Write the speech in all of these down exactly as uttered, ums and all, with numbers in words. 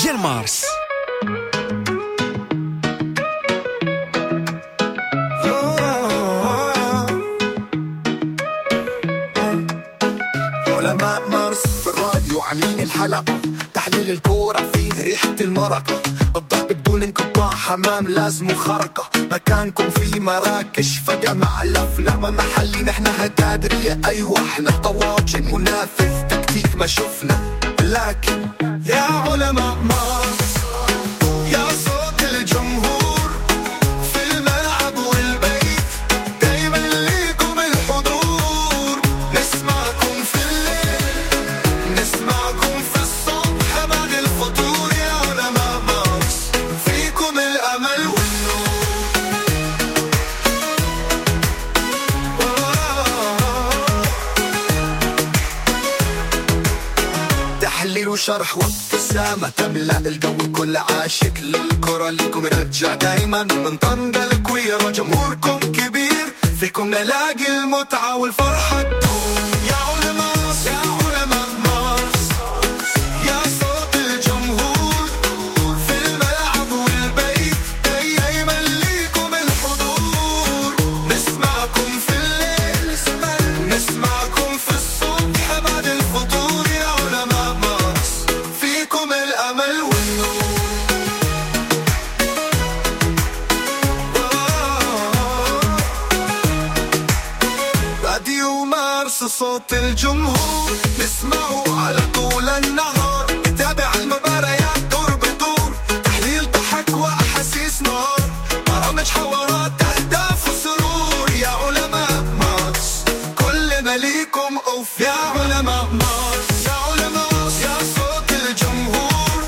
ديال مارس. علماء مارس في الراديو عاملين الحلقة، تحليل الكورة فيه ريحة المرقة، الضرب بدون انقطاع، حمام لازم خرقة، مكانكم في مراكش فجمع الأفلام محلي، نحن هتادرية أيوة احنا طواجن منافذ تكتيك ما شفنا، لكن يا علماء مارس يا صوت الجمهور في الملعب والبيت، دايما ليكم الحضور، نسمعكم في الليل نسمعكم في الصبح بعد الفطور، يا علماء مارس فيكم الأمل والنور. تحليل وشرح وابتسامة تملأ الجو، كل عاشق للكرة لكم رجع دايما من طنجة الكويرة، جمهوركم كبير فيكم نلاقي المتعة والفرحة تدوم. يا علماء يا علماء مارس يا صوت الجمهور في الملعب والبيت، دايما ليكم الحضور، نسمعكم في الليل نسمعكم في الصبح بعد الفطور، يا علماء مارس فيكم الأمل والنور. راديو مارس صوت الجمهور، نسمعه على طول النهار، نتابع المباريات دور بدور، تحليل ضحك وأحاسيس نار، برامج حوارات أهداف وسرور، يا علماء مارس كلنا ليكم أوف، يا علماء مارس يا علماء يا صوت الجمهور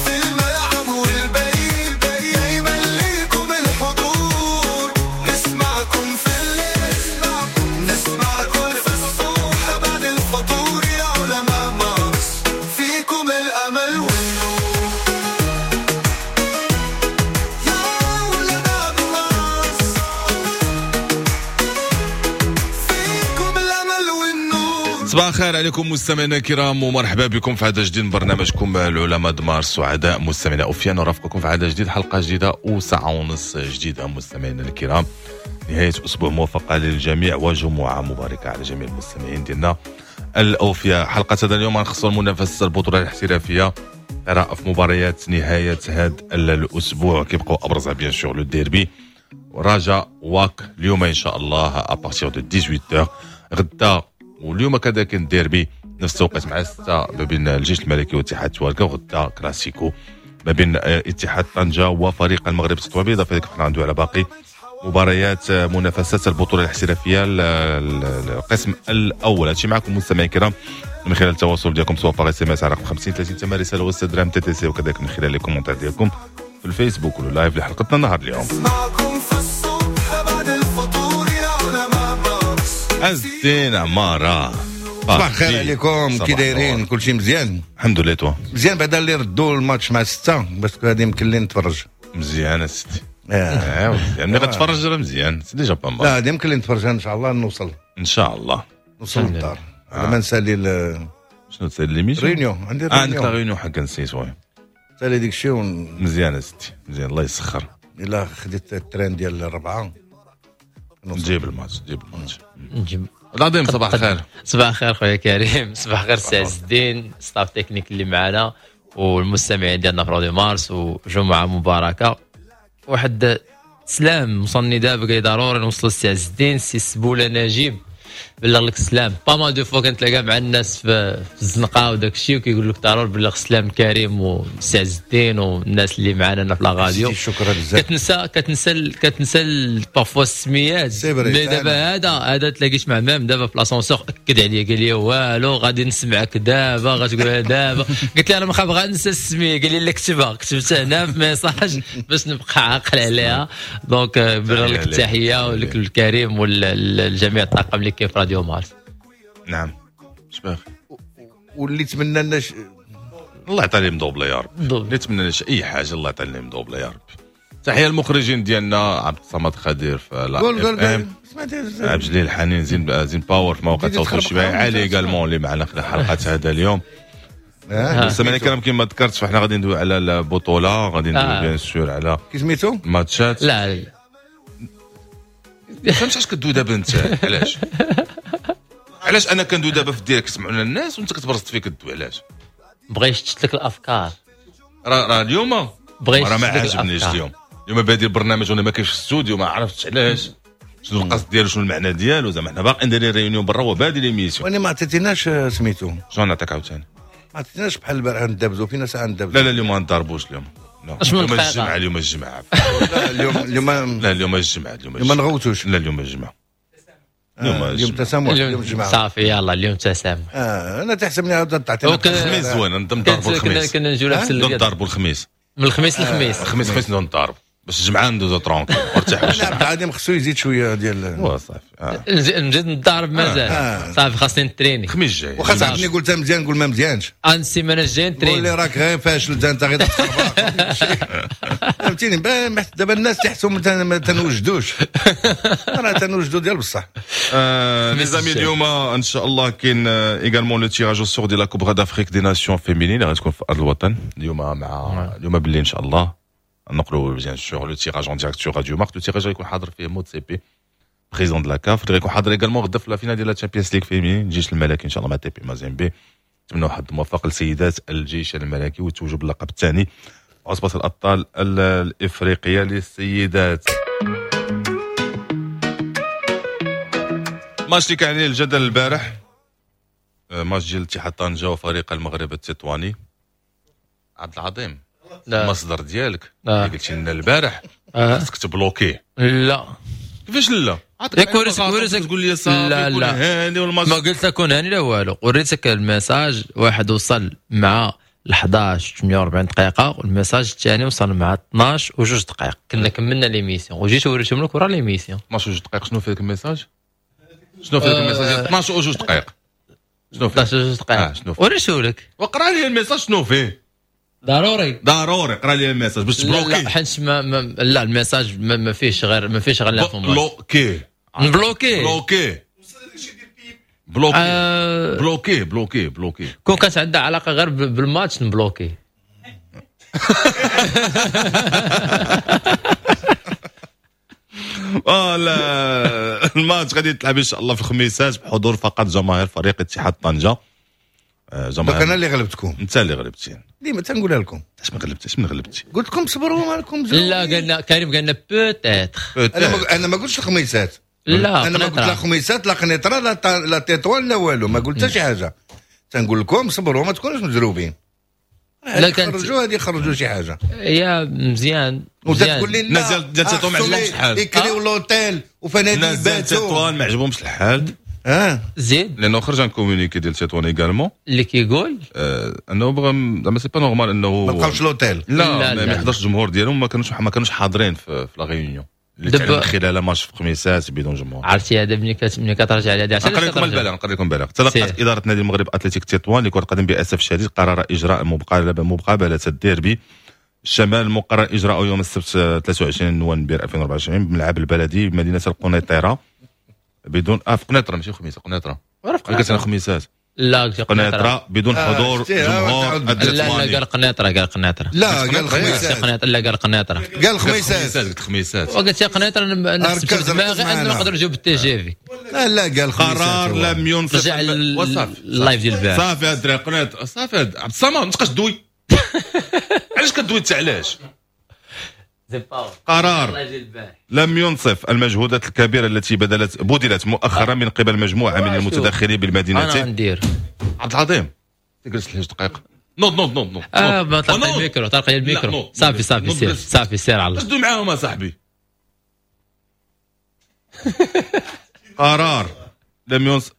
في الملعب والبيت، دايما ليكم الحضور، نسمعكم في الليل نسمعكم في الصبح بعد الفطور، يا علماء مارس فيكم الأمل والنور. يا علماء مارس فيكم الأمل والنور. صباح الخير عليكم مستمعينا الكرام، ومرحبا بكم في عدد جديد من برنامجكم العلماء د مارس. سعداء مستمعينا اوفيان نرافقكم في عدد جديد، حلقة جديدة وساعة ونص جديدة مستمعينا الكرام. نهاية اسبوع موفقة للجميع وجمعه مباركة على جميع المستمعين ديالنا الاوفياء. حلقة هذا اليوم غنخصوا المنافسة البطولة الاحترافية، قراءة في مباريات نهاية هذا الاسبوع كيبقاو ابرزها bien sûr le derby رجاء واك اليوم ان شاء الله à partir de ثمانية عشر. غدا واليوم كذلك الديربي نفس التوقيت مع ستة ما بين الجيش الملكي واتحاد تواركا، وغدا كلاسيكو ما بين اتحاد طنجة وفريق المغرب التطواني. بالاضافة لذلك حنا غندوي على باقي مباريات منافسات البطولة الاحترافية القسم الاول. هادشي معكم مستمعين الكرام من خلال التواصل ديالكم سواء par SMS على رقم خمسين ثلاثين ثمانية رسالة وستة درهم TTC، وكذلك من خلال les commentaires ديالكم في الفيسبوك وال live لحلقتنا النهار اليوم. نسمعكم في الصبح بعد الفطور، يا علماء مارس. عز الدين عمارة، صباح الخير عليكم، كي دايرين؟ كلشي مزيان؟ الحمد لله. toi مزيان بعدا اللي ردوا الماتش مع ستة باش غادي يمكن لي نتفرج. مزيان الستي، اه مزيان ملي غتفرج راه مزيان، c'est déjà pas mal. لا غادي يمكن لي نتفرج ان شاء الله، نوصل ان شاء الله نوصل للدار آه. لما نسالي ال- شنو تسالي l'émission؟ réunion عندي. اه عندك la réunion réunion حق نسيت oui. نسالي ديك الشيء ون... مزيان الستي مزيان، الله يسخر. الا خديت ال train ديال الربعه نوصل. نجيب الماتش نجيب الماتش. نجيب. العظيم صباح الخير. صباح الخير خويا كريم، صباح الخير سي عز الدين، staff technique اللي معنا والمستمعين ديالنا في راديو مارس، وجمعه مباركة. واحد سلام وصلني دابا قال لي ضروري نوصل لسي عز الدين، سي سبوله نجيب بلغ لك السلام. pas mal de fois كنتلاقى مع الناس في, في الزنقة وداك الشيء وكيقول لك ضروري بلغ السلام كريم وسي عز الدين والناس اللي معنا هنا في la radio. شكرا بزاف. كتنسى كتنسى كتنسى parfois السميات، c'est vrai. mais دابا هذا هذا تلاقيت مع même دابا في l'ascenseur اكد عليا قال لي والو غادي نسمعك دابا غتقولها دابا. قلت له انا ما خاف غنسى السمية، قال لي لا كتبها، كتبتها هنا في message باش نبقى عاقل عليها. donc بلغ لك التحية ولك الكريم والجميع الطاقم اللي كاين في راديو مارس. نعم شباخ واللي تمنى لنا ش... الله يعطي لهم مدوبله يا رب، اللي تمنى لنا اي حاجة الله يعطي لهم مدوبله يا رب. تحية المخرجين ديالنا عبد الصمد خدير في لا قول قول قول عبد الجليل الحنين زين زين باور في مواقع التواصل الاجتماعي، علي également اللي معنا في حلقة هذا اليوم. المستمعين الكرام كما ذكرت فاحنا غادي ندوي على البطولة، غادي ندوي bien sûr على كي سميتو الماتشات. لا لا ما فهمتش علاش كدوي دابا انت، علاش علاش انا كندوي دابا في ال direct سمعونا الناس وانت كتبرزت فيك كدوي علاش؟ بغى يشتت لك الافكار. راه راه اليوم راه ما عجبنيش اليوم. اليوم بادي البرنامج وانا ما كاينش في الاستوديو، ما عرفتش علاش، شنو القصد ديالو، شنو المعنى ديالو. زعما حنا باقي ندير réunion برا وبادي l'émission. وانا ما عطيتيناش سميتو. شنو نعطيك عاوتاني؟ ما عطيتيناش بحال البارح ندابزو فينا ساعة ندابزو. لا لا اليوم ما نضربوش اليوم. اليوم الجمعة، اليوم الجمعة. لا اليوم اليوم لا اليوم الجمعة، اليوم ما نغوتوش. لا اليوم الجمعة، اليوم اليوم تسامح، اليوم الجمعة صافي. يلا اليوم تسامح. اه انا تحسبني عاود تعطينا الخميس زوين، نضربوا الخميس. كنا نجيو لابس نضربوا الخميس، من الخميس للخميس. الخميس خميس نضرب باش الجمعة ندوزو tranquille ونرتاحوا. انا عبد العظيم خصو يزيد شوية ديال هو صافي. نزيد نضارب مازال صافي، خاصني نتريني الخميس الجاي. واخا صاحبني قلتها مزيان نقول ما مزيانش. انا السيمانة الجاية نتريني. قول لي راك غير فاشل انت غير تخربق فهمتيني. دابا الناس تحسوا ما تنوجدوش، راه تنوجدو ديال بصح. les amis اليوم ان شاء الله كاين également le tirage au sort ديال la Coupe d'Afrique des Nations féminines اللي غتكون في ارض الوطن اليوم، مع اليوم بالليل ان شاء الله نقلوا bien sûr le tirage en direct sur راديو مارس. le tirage غيكون حاضر فيه موتسيبي président de la CAF، اللي غيكون حاضر également غدا في la finale ديال la Champions League féminine الجيش الملكي ان شاء الله مع تي بي مازيمبي. نتمنوا حظ موفق لسيدات الجيش الملكي وتوجوا باللقب الثاني عصبة الابطال الافريقية للسيدات. ماتش اللي كان عليه الجدل البارح، ماتش ديال اتحاد طنجة وفريق المغرب التطواني. عبد العظيم المصدر ديالك اللي قلتي لنا البارح خاصك تبلوكيه. لا كيفاش لا؟ ياك وريتك تقول لي صافي كون هاني والماتش. ما قلت لك كون هاني لا والو، وريتك ال message واحد وصل مع احداش ثمانية وأربعين دقيقة وال message الثاني وصل مع اثناش وجوج دقائق. كنا كملنا l'émission وجيت وريتهم لك ورا l'émission. اثناش وجوج دقائق شنو فيك ال message؟ شنو فيك ال message؟ اثناش وجوج دقائق شنو فيه؟ اثناش وجوج دقائق وريته لك وقرا لي ال message شنو فيه؟ ضروري ضروري قرا لي ال message باش تبلوكي. لا حيت ما, ما لا ال message ما, ما فيهش غير ما فيهش غير l'information. بلوكي نبلوكي بلوكي بلوكي آه بلوكي بلوكي بلوكي. كون كانت عندها علاقة غير بالماتش نبلوكي. اه لا الماتش غادي يتلعب ان شاء الله في الخميسات بحضور فقط جماهير فريق اتحاد طنجه. جماهير انا اللي غلبتكم. انت اللي غلبتي ديما تنقولها لكم. علاش ما غلبتيش؟ من غلبتي قلت لكم صبروا مالكم. لا قالنا كريم قالنا peut-être. انا ما انا ما قلتش الخميسات. لا انا ما قلت لا خميسات لا قنيطره لا لا تطوان لا والو، ما قلت حتى شي حاجة. تنقول لكم صبروا ما تكونوش مزروبين. لا خرجوا هذه خرجوا شي حاجة يا مزيان. وتقول لي الناس ديال تطوان ما عجبهمش الحال، يكريو l'hôtel وفنادق الناس ديال تطوان ما عجبهمش الحال. اه زيد لانه خرج un communiqué ديال تطوان également اللي كيقول آه انه بغى زعما c'est pas normal انه ما بقاوش l'hôtel. لا, لا ما يحضرش الجمهور ديالهم، ما كانوش ما كانوش حاضرين في, في la réunion اللي تعلن خلال ماتش في خميسات بدون جمهور. عرفتي هذا ملي ملي كترجع على هذا. نقرا لكم البلاغ نقرا لكم البلاغ. تلقت ادارة نادي المغرب اتلتيك تطوان لكرة القدم باسف شديد قرار اجراء مقابله مقابله الديربي الشمال المقرر اجراءه يوم السبت ثلاثة وعشرين نوفمبر ألفين وأربعة وعشرين بملعب البلدي بمدينة القنيطره بدون اه في قنيطره ماشي خميسه قنيطره. قلت انا خميسات. لا قلت قنيطره بدون حضور جمهور. لا لا قال قنيطره قال قنيطره. لا قال خميسات. لا قال قنيطره قال خميسات. قلت خميسات وقلت يا قنيطره نحسب في دماغي انه نقدر نجاوب بال TGV. لا لا قال خميسات. قرار لم ينصف. رجع ال live ديال البارح. صافي الدراري قنيطره صافي. عبد الصمد ما تبقاش دوي. علاش كدوي انت علاش؟ قرار لم ينصف المجهودات الكبيرة التي بذلت بذلت مؤخرا من قبل مجموعة من المتدخلين بالمدينتين. انا ندير عبد العظيم تجلس لي دقيقة. نوض نوض نوض نوض. اه ما طلق الميكرو طلق الميكرو. صافي صافي سير صافي سير على الله. دوي معاهم اصاحبي. قرار لم ينصف.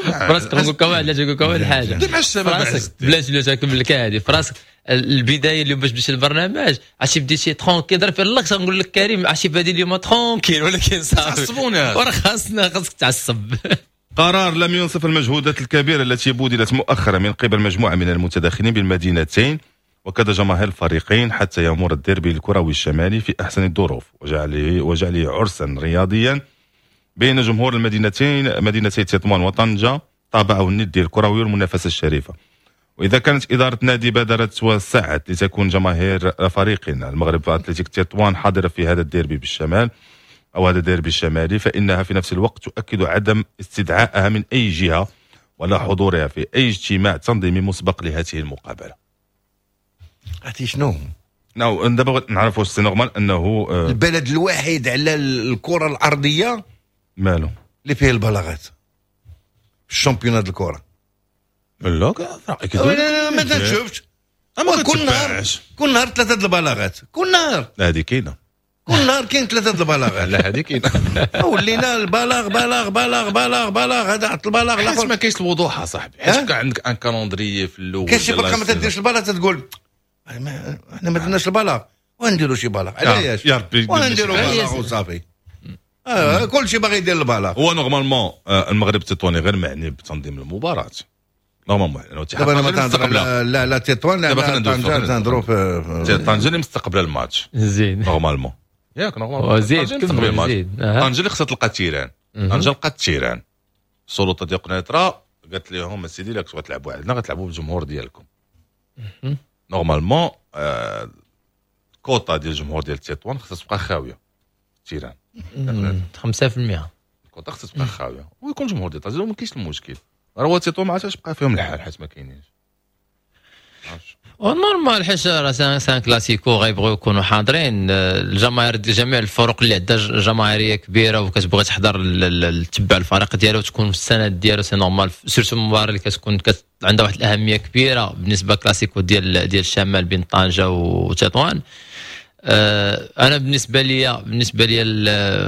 فراسك نقول لك واحد نقول لك واحد الحاجة. دوي مع الشباب بلاش بلاش نكمل لك هذه. فراسك البداية اليوم باش بديت البرنامج عرفتي بديتي tranquille ضرب في اللقطة نقول لك كريم عرفتي بادي اليوم tranquille ولكن صافي تعصبونا وراه خاصنا خاصك تعصب. قرار لم ينصف المجهودات الكبيرة التي بذلت مؤخرا من قبل مجموعة من المتداخلين بالمدينتين وكذا جماهير الفريقين حتى يمر الديربي الكروي الشمالي في احسن الظروف وجعله وجعله عرسا رياضيا بين جمهور المدينتين مدينتي تطوان وطنجه طابعه الندي الكروي والمنافسه الشريفة. واذا كانت ادارة النادي بادرت وسعت لتكون جماهير فريقنا المغرب اتلتيك تطوان حاضره في هذا الديربي بالشمال او هذا الديربي الشمالي، فانها في نفس الوقت تؤكد عدم استدعائها من اي جهة ولا حضورها في اي اجتماع تنظيمي مسبق لهذه المقابلة. عرفتي شنو؟ نو دابا نعرفوا c'est normal انه آه البلد الوحيد على الكره الارضية مالو اللي فيه البلاغات في ال championnat الكره. لا لا ما تنشوفش كل نهار كل نهار ثلاثة البلاغات كل نهار. لا هذه كاينه كل نهار كاين ثلاثة البلاغات. لا هذه كاينه. ولينا البلاغ بلاغ بلاغ بلاغ بلاغ هذا عط البلاغ حيت ما كاينش الوضوح اصاحبي، حيت كان عندك un calendrier في الاول كاين شي فرقه ما تديرش البلاغ تتقول احنا ما درناش البلاغ ونديروا شي بلاغ علاش يا ربي ونديروا بلاغ وصافي. آه كل شيء باغي يدير البلاغ. هو normalement المغرب التطواني غير معني بتنظيم المباراة normalement. دابا انا ما تنهضر لا لا تطوان لا طنجه تنهضروا في طنجه اللي مستقبله الماتش زين normalement ياك normalement زيد مستقبل الماتش. طنجه اللي خصها تلقى terrain، طنجه لقات terrain. السلطة ديال قنيطره قالت لهم اسيدي الا كنتو غتلعبوا عندنا غتلعبوا بالجمهور ديالكم. normalement quota ديال الجمهور ديال تطوان خصها تبقى خاوية terrain خمسة بالمية الكوطا خصها تبقى خاوية ويكون الجمهور ديال طنجه وما كاينش المشكل. راه هو تطوان ما عرفتش بقى فيهم الحال حيت ما كاينينش normal حيت راه c'est un classico غيبغيو يكونوا حاضرين الجماهير جميع الفرق اللي عندها جماهيرية كبيرة وكتبغي تحضر تتبع الفريق ديالو وتكون في السند ديالو c'est normal، surtout المباراة اللي كتكون كت... عندها واحد الاهمية كبيرة بالنسبة كلاسيكو ديال ديال الشمال بين طنجه وتطوان. انا بالنسبة لي بالنسبة لي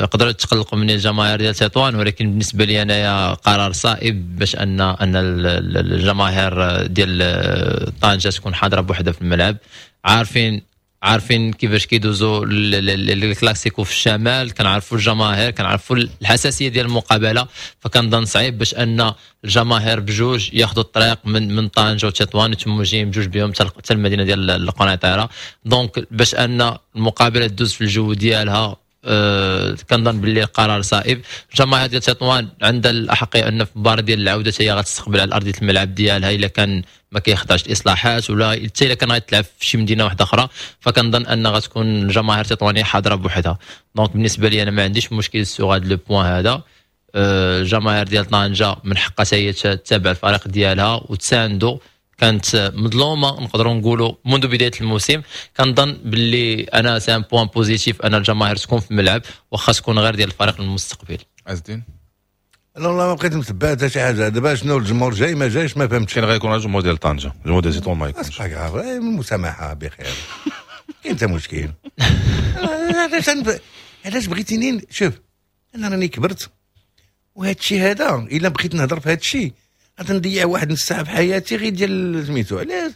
يقدروا يتقلقوا من الجماهير ديال تطوان، ولكن بالنسبة لي انايا قرار صائب باش ان ان الجماهير ديال طنجه تكون حاضره بوحدها في الملعب. عارفين عارفين كيفاش كيدوزوا الكلاسيكو في الشمال، كنعرفوا الجماهير، كنعرفوا الحساسية ديال المقابلة، فكنظن صعيب باش ان الجماهير بجوج ياخذوا الطريق من من طنجه وتطوان وتموا جايين بجوج بهم حتى المدينة ديال القنيطره. donc باش ان المقابلة تدوز في الجو ديالها أه كنظن باللي القرار صائب. الجماهير ديال تطوان عندها الاحقيه ان في المباراة ديال العودة هي غتستقبل على ارضية الملعب ديالها الا كان ما كيخضعش الاصلاحات ولا حتى الا كان غيتلعب في شي مدينة واحدة اخرى، فكنظن ان غتكون الجماهير التطوانيه حاضره بوحدها. donc بالنسبة لي انا ما عنديش مشكل sur هذا le point هذا. الجماهير ديال طنجه من حقها هي تتابع الفريق ديالها وتساندو، كانت مظلومة نقدروا نقولوا منذ بداية الموسم. كنظن باللي انا c'est un point positif ان الجماهير تكون في الملعب واخا تكون غير ديال الفريق المستقبل. عز الدين انا والله ما بقيت متبع حتى شي حاجة. دابا شنو الجمهور جاي ما جايش ما فهمتش. كاين غيكون الجمهور ديال طنجه، الجمهور ديال تطوان ما يكونش. المسامحة بخير كاين حتى مشكل. علاش علاش بغيتيني؟ شوف انا راني كبرت وهذا الشيء هذا الا بغيت نهضر في هذا الشيء غنضيع واحد نص ساعة في حياتي غير ديال سميتو. علاش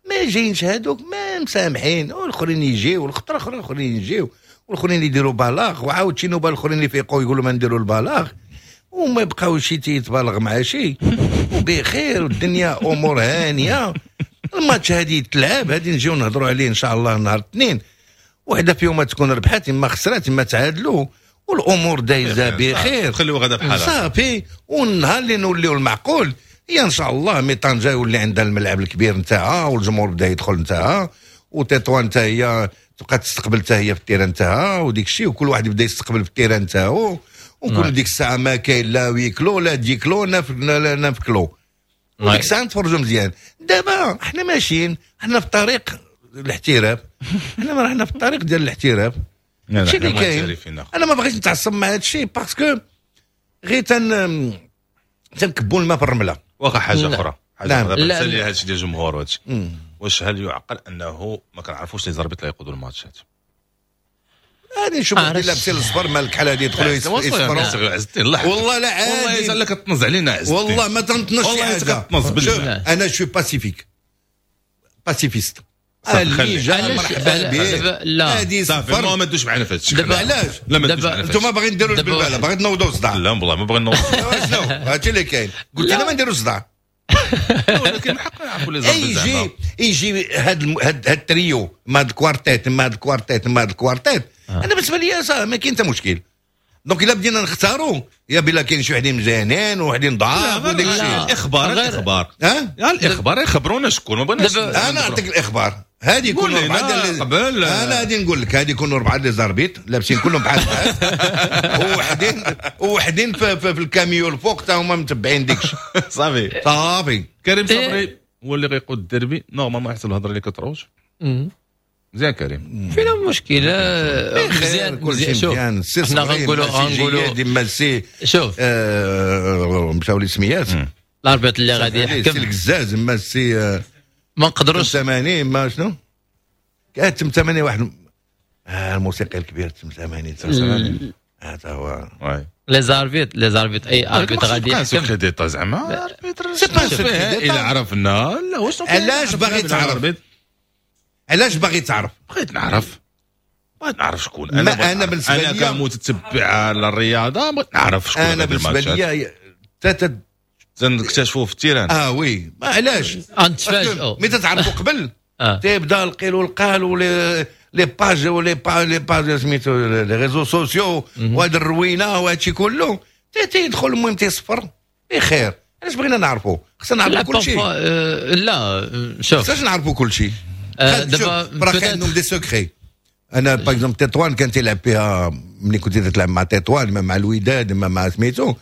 ما جايينش هادوك ما مسامحين والاخرين يجيو والخطره الاخرى الاخرين يجيو والاخرين يديروا بلاغ وعاود شي نوبه الاخرين يفيقوا يقولوا ما نديروا البلاغ وما يبقاو شي تيتبالغ مع شي وبخير والدنيا امور هانيه. الماتش هادي يتلعب هادي نجيو نهضروا عليه ان شاء الله نهار الاثنين، وحده فيهم تكون ربحات اما خسرات اما تعادلوا والامور دايزه بخير، خليو غدا بحالها صافي. والنهار اللي نوليو المعقول هي ان شاء الله mais طنجه يولي عندها الملعب الكبير نتاعها والجمهور بدا يدخل نتاعها وتطوان حتى هي تبقى تستقبل حتى هي في ال terrain نتاعها وديك الشيء، وكل واحد يبدا يستقبل في ال terrain نتاعو وكل ديك الساعة ما كاين لا huis clos لا huis clos لا neuf clos، وديك الساعة نتفرجوا مزيان. دابا حنا ماشيين حنا في طريق الاحتراف، حنا حنا في الطريق ديال الاحتراف. هادشي اللي كاين. انا ما بغيتش نتعصب مع هادشي parce que غير تن تنكبوا الماء في الرملة. واخا حاجة اخرى حاجة اخرى بالنسبة لي هادشي ديال الجمهور وهادشي، واش هل يعقل انه ما كنعرفوش les arbitres اللي يقودوا الماتشات؟ غادي نشوف اللي لابسين الصفر مالك بحال هادي يدخلوا يصفروا. والله لا عادي والله الا كتنز علينا عز الدين. والله ما تنطنش شي حاجة. انا je suis pacifique pacifiste. اللي جا مرحبا به. لا صافي ما دوش معنا في هادشي. دابا علاش؟ انتم باغيين ديروا البلبلة، باغيين تنوضوا صداع. لا والله ما باغيين نوضوا. شنو هادشي اللي كاين؟ قلت انا ما نديروا صداع، ولكن حقنا نعرفوا les arbitres. يجي يجي هاد هاد التريو مع هاد ال quartet مع هاد ال quartet مع هاد ال quartet. انا بالنسبة لي ما كاين حتى مشكل. donc الا بدينا نختاروا يا بلا كاين شي وحدين مزيانين وحدين ضعاف وداك الشيء. الاخبار الاخبار ها الاخبار يخبرونا شكون ما بغيناش. انا نعطيك الاخبار هذه يكونوا اربعة قبل. انا غادي نقول لك هذه يكونوا اربعة les arbitres لابسين كلهم بحال بحال وحدين وحدين في, في, في الكاميو الفوق تا هما متبعين ديك الشيء. صافي صافي. كريم صبري هو اللي غيقود الديربي normalement حسب الهضرة اللي كتروج. مزيان كريم فينا مشكلة مزيان كلشي مزيان. حنا غنقولوا غنقولوا ديما سي شوف آه مشاو لي سميات l'arbitre اللي غادي يحكم سي الكزاز ما سي ما نقدروش ثمانين ما شنو كانت ثمانين واحد آه الموسيقي الكبير ثمانين ثمانين هذا هو les arbitres les arbitres اي arbitre غادي يحكم secret d'état زعما c'est pas secret الا عرفنا لا واش علاش باغي تعرف علاش باغي تعرف؟ بغيت نعرف بغيت نعرف شكون انا. ما انا بالنسبة لي انا كمتتبع للرياضة بغيت نعرف شكون انا بالنسبة لي تا تنكتشفوا في ال terrain. اه oui ما علاش غنتفاجئوا ملي تتعرفوا قبل تيبدا القيل والقال و les les pages و les pa les pages سميتو les réseaux sociaux وهاد الروينه وهادشي كله تيدخل المهم تيصفر بخير. علاش بغينا نعرفوا؟ خصنا نعرفوا كل شيء. لا شوف خصناش نعرفوا كل شيء. دابا راه كاين عندهم des secrets. انا par exemple تطوان كان تيلعب فيها ملي كنت تلعب مع تطوان مع الوداد مع سميتو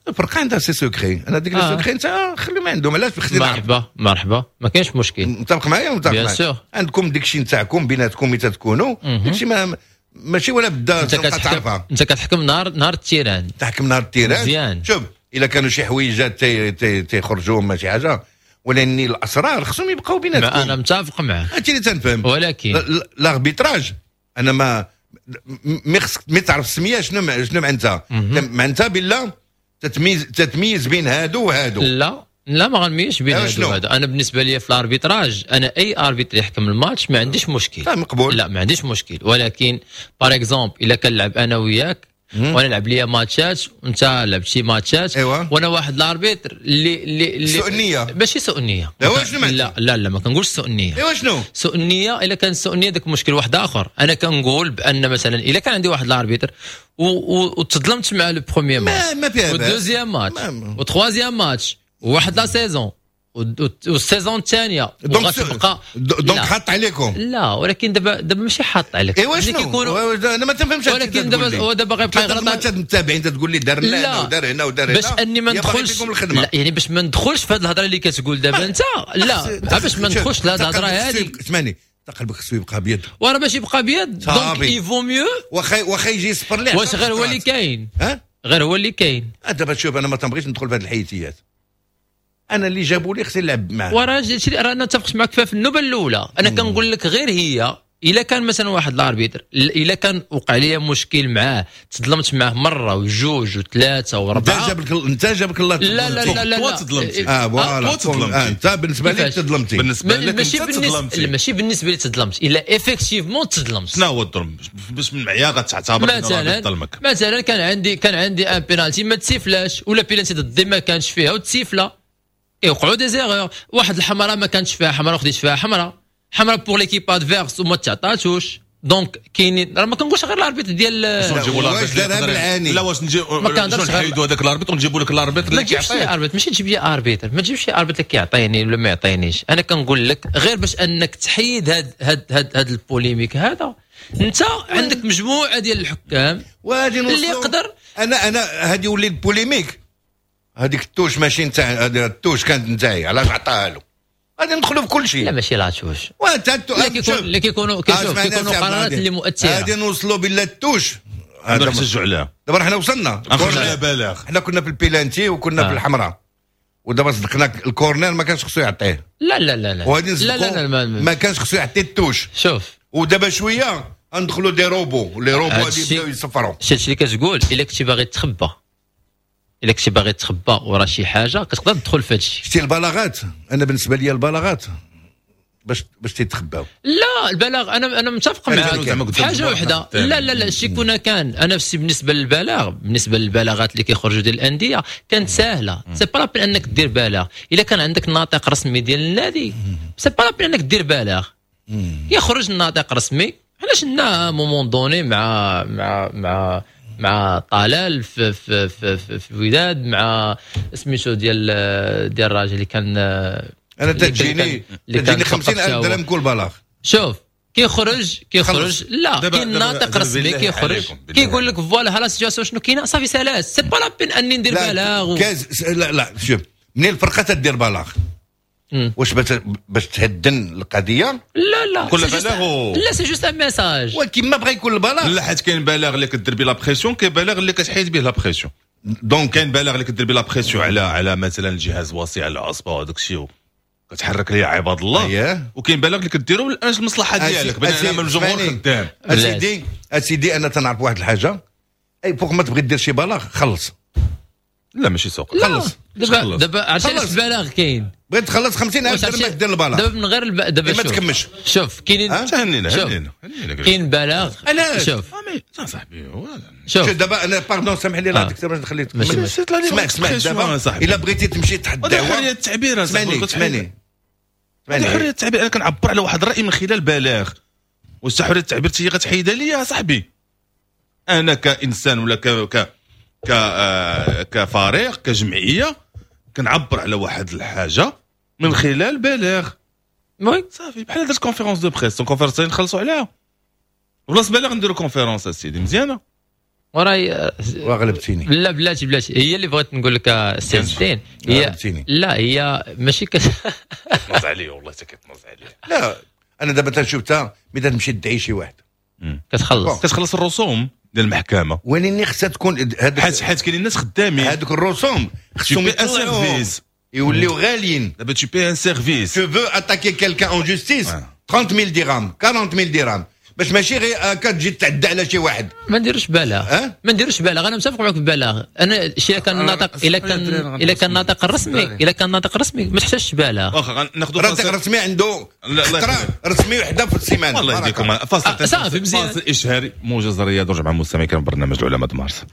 الفرقة عندها ses secrets. انا ديك les secrets انت خليهم عندهم. علاش خصني نعرف؟ مرحبا مرحبا ما كاينش مشكل. متفق معايا متفق معايا. عندكم داك الشيء نتاعكم بيناتكم ملي تتكونوا داك الشيء ما ماشي ولا بدا تعرفها. انت كتحكم نهار نهار ال terrain. تحكم نهار ال terrain مزيان. شوف الا كانوا شي حويجات تيخرجوا ما شي حاجة ولكن الاسرار خصهم يبقاو بيناتكم. انا متفق معك هادشي اللي تنفهم. ولكن l'arbitrage انا ما مي خصك مي تعرف السمية شنو شنو معناتها. معناتها بالله تتميز تتميز بين هادو وهادو. لا لا ما غنميزش بين هادو وهادو. انا بالنسبة لي في l'arbitrage انا اي arbitre يحكم الماتش ما عنديش مشكل. لا مقبول. لا ما عنديش مشكل. ولكن par exemple الا كنلعب انا وياك وانا لعب ليا ماتشات وانت لعبت شي ماتشات. ايوا. وانا واحد l'arbitre اللي اللي سوء النية. ماشي سوء النية. ايوا شنو لا لا لا ما كنقولش سوء النية. ايوا شنو سوء النية؟ الا كان سوء النية داك مشكل واحد اخر. انا كنقول بان مثلا الا كان عندي واحد l'arbitre وتظلمت مع le premier match ما, ما فيها وال deuxième match و troisième match وواحد la saison وال saison الثانية وغتبقى donc حط عليكم. لا ولكن دابا دابا ماشي حاط عليك. ايوا شنو انا ما تنفهمش. ولكن دابا هو دابا غيبقى يغلط. انت متابعين تقول لي دار هنا ودار هنا ودار هنا باش اني ما ندخلش. لا يعني باش ما ندخلش في هذه الهضرة اللي كتقول دابا انت. لا باش ما ندخلش لهذه الهضرة هذه. اسمعني قلبك خصو يبقى ابيض. وراه باش يبقى ابيض donc il vaut mieux واخا واخا يجي يصفر ليه. واش غير هو اللي كاين؟ ها غير هو اللي كاين. دابا شوف انا ما تنبغيش ندخل في هذه الحيثيات. انا اللي جابوا لي خصني نلعب معاه. وراه راه انا اتفقت معك فيها في النوبة الاولى. انا كنقول لك غير هي الا كان مثلا واحد l'arbitre الا كان وقع لي مشكل معاه تظلمت معاه مرة وجوج وثلاثة واربعة. انت جابك انت جابك الله. لا لا لا لا لا تظلمتي. اه voilà تظلمتي انت بالنسبة لك تظلمتي. بالنسبة لك ماشي بالنسبة ماشي بالنسبة لي تظلمت الا effectivement تظلمت. شنو هو الظلم؟ باش من معيار غتعتبر مثلا ظلمك؟ مثلا كان عندي كان عندي un penalty ما تسيفلاش ولا بينالتي ضدي ما كانش فيها وتسيفلا. يوقعوا des erreurs. واحد الحمراء ما كانتش فيها حمراء وخديت فيها حمراء حمراء pour l'équipe adverse وما تعطاتوش. donc كاينين راه ما كنقولش غير l'arbitre ديال واش دارها بالعاني. لا واش نجي نحيدوا هذاك l'arbitre ونجيبوا لك l'arbitre اللي كيعطيك. arbitre ماشي تجيب لي arbitre ما تجيبش شي arbitre اللي كيعطيني ولا ما يعطينيش. انا كنقول لك غير باش انك تحيد هاد هاد هاد, هاد ال polémique هذا. انت عندك مجموعة ديال الحكام اللي يقدر. انا انا هادي ولي ال polémique هذيك ال touche ماشي نتاع ال touche كانت نتاعي علاش عطاها له؟ غادي ندخلوا في كل شيء. لا ماشي la touche. وانت لا كيكون لا كيكونوا كيشوف كيكونوا قرارات اللي مؤثرة. غادي نوصلوا بالله ال touche هذا نحتجوا عليها. دابا حنا وصلنا على بلاغ. حنا كنا في البيلانتي وكنا آه. في الحمراء ودابا صدقنا ال corner ما كانش خصو يعطيه. لا لا لا لا وغادي لا لا لا ما, ما كانش خصو يعطي ال touche. شوف ودابا شوية ندخلوا des robots les robots غادي يبداو يصفروا. شتي اللي كتقول الا كنتي باغي تخبى الا كنتي باغي تخبى ورا شي حاجة كتقدر تدخل في هادشي. شتي البلاغات انا بالنسبة لي البلاغات باش باش تيتخباو. لا البلاغ انا انا متفق معاك حاجة وحده. لا لا لا شي كنا كان انا نفسي بالنسبة للبلاغ بالنسبة للبلاغات اللي كيخرجوا ديال الاندية كانت ساهله. c'est pas la peine انك دير بلاغ الا كان عندك ناطق رسمي ديال النادي. c'est pas la peine انك دير بلاغ. يخرج الناطق رسمي. علاش لنا moment donné مع مع مع مع طلال في في في, في, في الوداد، مع سميتو ديال ديال الراجل اللي كان. انا تجيني تجيني خمسين ألف درهم كل بلاغ. شوف كيخرج كيخرج لا كاين ناطق رسمي كيخرج كيقول لك voilà ها la situation شنو كاينه، صافي سالاس، c'est pas la peine اني ندير بلاغ و... لا لا شوف، منين الفرقة تدير بلاغ واش باش تهدن القضية؟ لا لا كل بلاغ و... لا c'est juste un message. ولكن ما بغى يكون البلاغ، لا حيت كاين بلاغ اللي كدير به la pression، كاين بلاغ اللي كتحيد به la pression. donc كاين بلاغ اللي كدير به la pression على على مثلا الجهاز الوصي على العصبة وهذاك الشيء كتحرك ليه عباد الله. أيه. وكاين بلاغ اللي كديرو من اجل المصلحة ديالك بان الجمهور خدام. اسيدي اسيدي انا تنعرف واحد الحاجة، اي فوق ما تبغي دير شي بلاغ خلص. لا ماشي سوق، خلص دابا دابا عرفتي علاش البلاغ كاين؟ بغيت تخلص خمسين ألف درهم باش دير البلاغ دابا من غير الب... دابا ما تكمش. شوف كاينين هنينا هنينا هنينا كاين بلاغ. شوف صاحبي شوف دابا انا pardon سامح لي لا دكتور باش نخليك تكمل. اسمع اسمع دابا الا بغيتي تمشي تحت الدعوة، حرية التعبير. اسمعني اسمعني حرية التعبير، انا كنعبر على واحد الراي من خلال بلاغ، واش حرية التعبير هي غتحيدها ليا يا صاحبي؟ انا كانسان ولا ك ك كفريق كجمعية كنعبر على واحد الحاجة من خلال بلاغ. oui صافي بحال درت conférence de presse، conférence نخلصوا عليها بلاص بلاغ نديرو conférence اسيدي مزيانه. وراي وغلبتيني. لا بلاتي بلاتي، هي اللي بغيت نقول لك السي الدين، هي لا هي ماشي كت كتنز عليه والله حتى كتنز عليه. لا انا دابا تنشوف تا ملي تمشي تدعي شي واحد كتخلص كتخلص الرسوم ديال المحكمة، ولكن خصها تكون حيت حيت كاينين الناس خدامين هذوك الرسوم خصهم يطلعوا يوليو غاليين. دابا tu payes un service، tu veux attaquer quelqu'un en justice ثلاثين ألف درهم أربعين ألف درهم باش ماشي غير هكا تجي تعدى على شي واحد. ما نديروش بلاغ، أه؟ ما نديروش بلاغ. انا متفق معك في البلاغ. انا شي كان ناطق الا كان الا كان ناطق رسمي، الا كان ناطق رسمي ما تحتاجش بلاغ. واخا غناخذوا ناطق رسمي عنده خطره رسمي وحده في السيمانة. الله يهديكم. فاصل صافي مزيان، فاصل اشهاري موجز الرياض ورجع مع المستمعين كان برنامج العلماء مارس.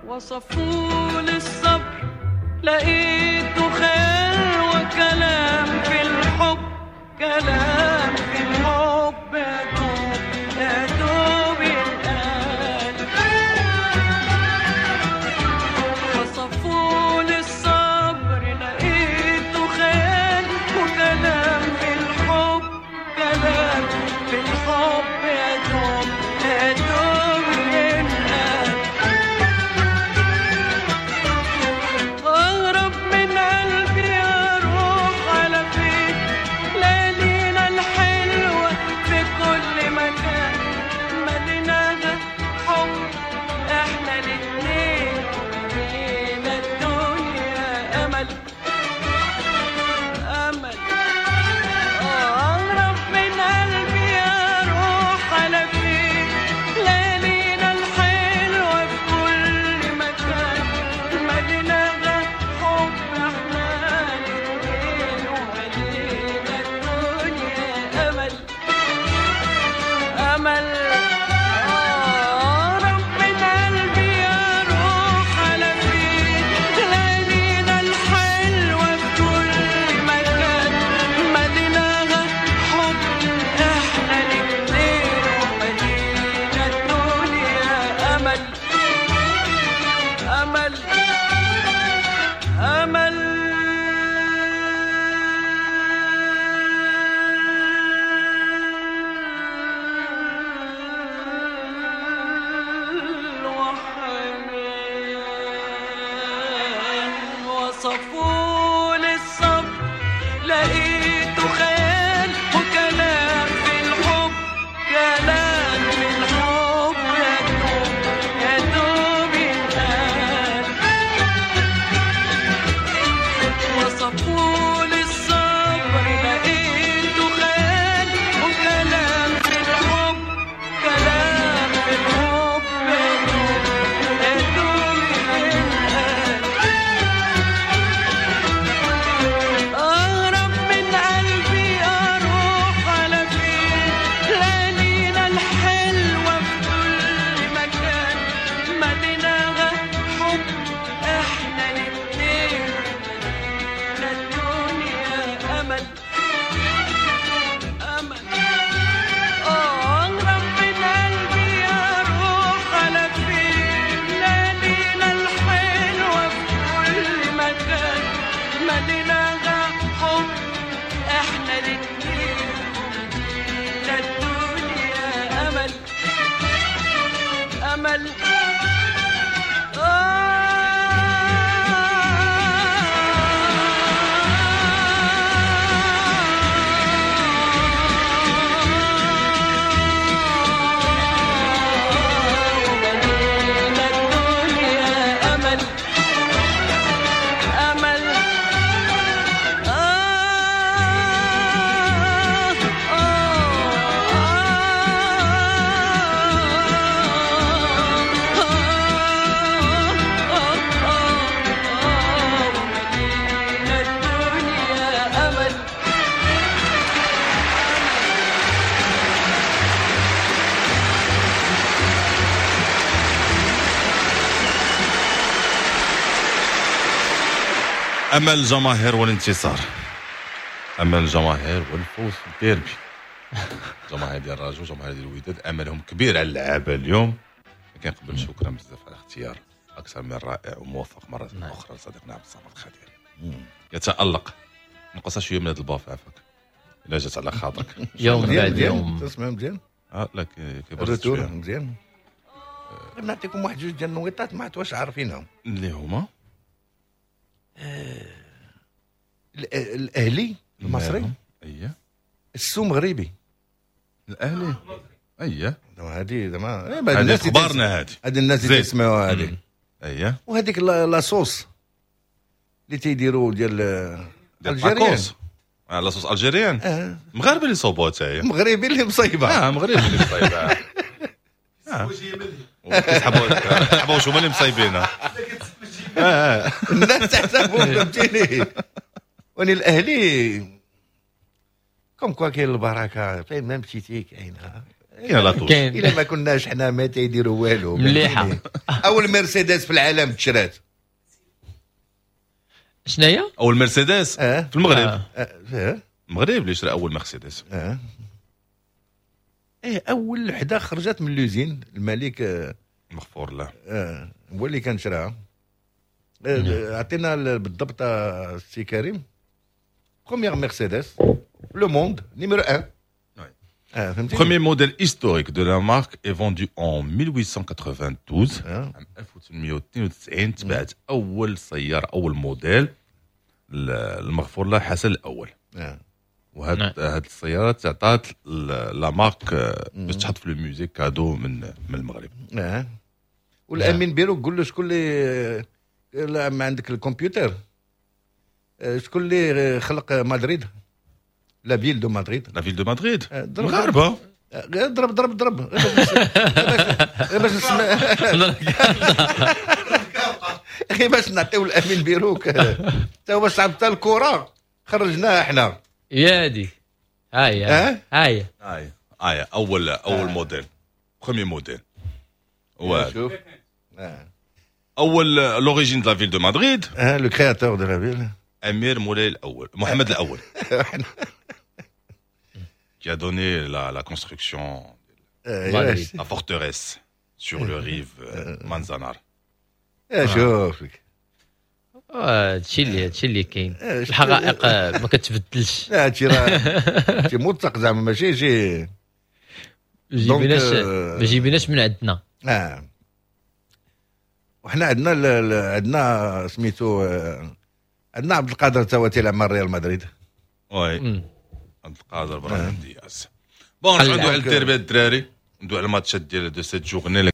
وصفوا للصبر لقيته خير وكلام في الحب، كلام في الحب يا دوب يا دوب يتقال. وصفوا للصبر لقيته خير وكلام في الحب، كلام في الحب يا دوب يا دوب يتقال. أهرب من قلبي أروح على فين، ليالينا أمل أمل أمل. وحنان وصفوا للصبر لقيته خيال وكلام في الحب، كلام في الحب يا دوب يا دوب يتقال. وصفوا للصبر لقيته خيال وكلام في الحب، كلام في الحب يا دوب يا دوب يتقال. أهرب من قلبي أروح على فين، ليالينا الحلوة في كل مكان، مدينة حب احنا الاتنين، مدينة الدنيا أمل أمل. أهرب من قلبي أروح على فين، ليالينا الحلوة في كل مكان، مدينة حب احنا الاتنين، مدينة الدنيا أمل أمل. آه ومدينة الدنيا أمل أمل. آه آه آه ومدينة الدنيا أمل. امل الجماهير والانتصار، امل الجماهير والفوز في الديربي. الجماهير ديال الرجاء وجماهير ديال الوداد املهم كبير على اللعابه اليوم. لكن قبل شكرا بزاف على الاختيار اكثر من رائع وموفق مرة نعم. اخرى لصديقنا عبد الصمد خدير. يتالق. نقص شوية من هذا الباف عافاك الا جات على خاطرك. يوم مزيان بعد مزيان يوم. تسمع مزيان اه لا كي- كيبرز ال retour شوية مزيان. نعطيكم واحد جوج ديال النويطات ما عرفت واش عارفينهم. اللي هما ال- الاهلي المصري اييه السو مغربي. الاهلي اييه زعما هذه زعما إيه، بعد هذه الناس اللي تس- اخبارنا هذه هذه الناس اللي زيد. تسمعوها هذه. اييه وهذيك la la sauce اللي تيديروا ديال ديال algérienne. الطاكوس. آه، la sauce algérienne. آه، مغاربة اللي صوبوها حتى هي. مغربي اللي مصيبة. اه مغربي اللي مصايبها. آه. كيسحبوا كيسحبوا واش هما اللي مصايبينها. الناس تحسبهم فهمتيني. وني الاهلي comme quoi كاين البركة فين ما مشيتي كاينه. كاين la touche. كاين الا ما كناش حنا ما تيديروا والو. مليحة. فهمتيني؟ اول مرسيدس في العالم تشرات. شناهي؟ اول مرسيدس اه في المغرب. آه. اه آه. المغرب اللي شرى اول مرسيدس. اه ايه اول وحده خرجت من l'usine الملك آه مغفور له. آه هو اللي كان شراها. آه، عطينا ال- بالضبط آه، السي كريم première مرسيدس le monde numéro واحد. Oui. اه فهمتي. Premier modèle historique de la marque est vendu en mille huit cent quatre-vingt-douze. آه. عام ألف وثمانمائة واثنين وتسعين تبعت اول سيارة اول موديل المغفور له حسن الاول. آه. وهاد نعم. هاد السيارة تعطات la marque باش تحط في le musée cadeau من من المغرب. اه والامين بيرو قول له شكون اللي لا ما عندك الكمبيوتر آه، شكون اللي خلق مدريد la ville de Madrid. la ville de Madrid آه، ضرب مغاربة. آه، غير ضرب ضرب ضرب غير باش غير باش نسمع غير باش نعطيو الامين بيروك حتى هو صعب حتى الكره خرجناها حنا. يا دي هاي اه هاي اي اي اول اول موديل premier modèle هو شوف اه اول l'origine de la ville de Madrid اه le créateur de la ville امير مولاي الاول محمد الاول qui a donné la, la construction مدريد. la forteresse sur les rives Manzanares. شوف لك هادشي اللي هادشي اللي كاين، الحقائق ما كتبدلش. لا هادشي راه هادشي موثق زعما، ماشي شي جيبيناش، ما جيبيناش من عندنا. اه وحنا عندنا عندنا سميتو عندنا عبد القادر تا هو تيلعب مع ريال مدريد. oui عبد القادر ابراهيم دياز. bon ندوي على الديربي الدراري، ندوي على الماتشات ديال de cette journée.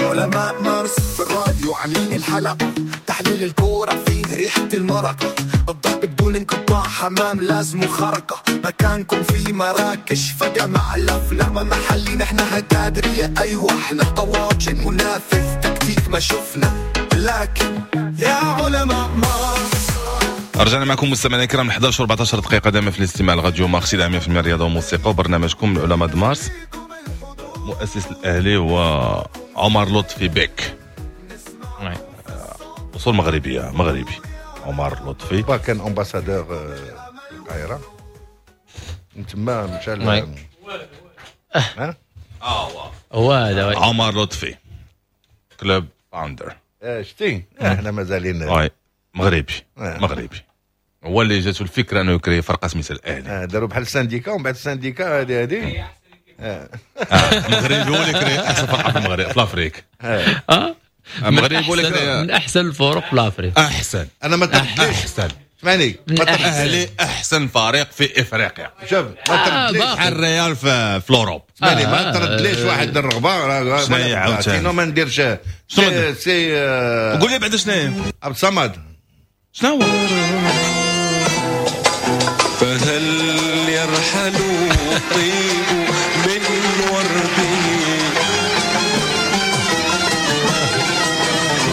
علماء مارس في الراديو عاملين الحلقة، تحليل الكورة فيه ريحة المرق، الضرب بدون انقطاع، حمام لازم خرقة، مكانكم في مراكش فجمع الأفلام محلي، نحن هتادرية أيوة احنا طواجن، منافس تكتيك ما شفنا، لكن يا علماء مارس. رجعنا معكم مستمعينا الكرام احد عشر وأربعة عشر دقيقة دائما في الاستماع لراديو مارس مية بالمية رياضة وموسيقى وبرنامجكم العلماء د مارس. مؤسس الأهلي هو عمر لطفي بك، أصول مغربية، مغربي عمر لطفي. كان ambassadeur في القاهرة، من تما مشى ل ها هو هذا عمر لطفي club founder. شتي احنا مازالين مغربي مغربي، هو اللي جاتو الفكرة انه يكري فرقه سميتها الاهلي. داروا بحال ال syndicat، ومن بعد ال syndicat هذه هذه مغربي هو اللي كري احسن فرقه في المغرب في l'Afrique. اه المغرب هو اللي كري من احسن الفرق في l'Afrique. احسن، انا ما تردليش. احسن اسمعني، الاهلي احسن فريق في افريقيا. شوف ما تردليش بحال الريال في في l'Europe. اسمعني ما تردليش واحد الرغبة، شنو هي عاوتاني؟ ما نديرش سي. قول لي بعدا شنو هي عبد الصمد، شنو هو؟ فهل يرحل الطيب من ورده،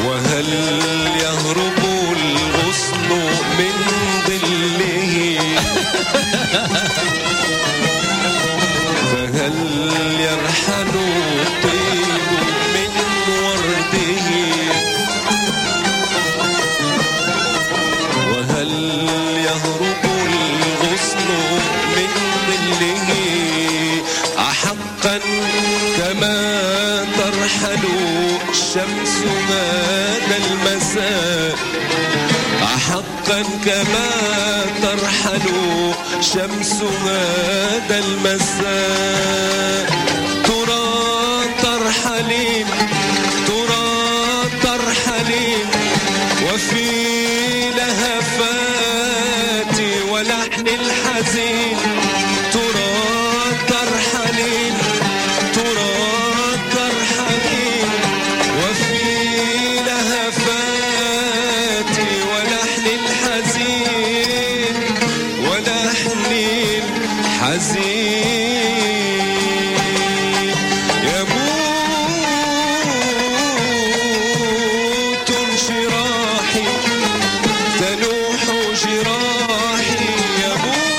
وهل يهرب الغصن من ظله، فهل يرحل الطيب من ورده، وهل يهرب الغصن من ظله، أحقا كما ترحل الشمس هذا المساء، أحقا كما ترحل شمس هذا المساء، ترى ترحلين ترى ترحلين وفي لهفات ولحن الحزين، ترى ترحلين ترى ترحلين وفي لهفات ولحن الحزين ولحن الحزين، يموت انشراحي تلوح جراحي، يموت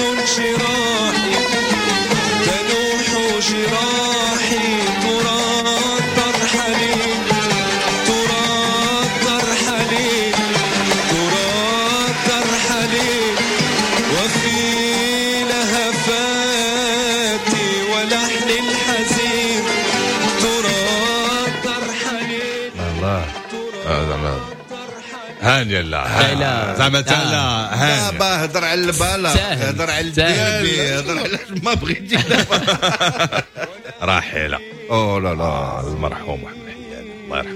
انشراحي تلوح جراحي، ترى ترحلين ترى ترحلين ترى ترحلين وفي لهفات ولحن الحزين، ترى ترحلين. الله زعما هانيه، لا زعما تا لا هانيه. دابا هضر على البالا، هضر على الديربي، هضر على ما بغيتي دابا. راحلة او لا لا المرحوم محمد حياني الله يرحمه.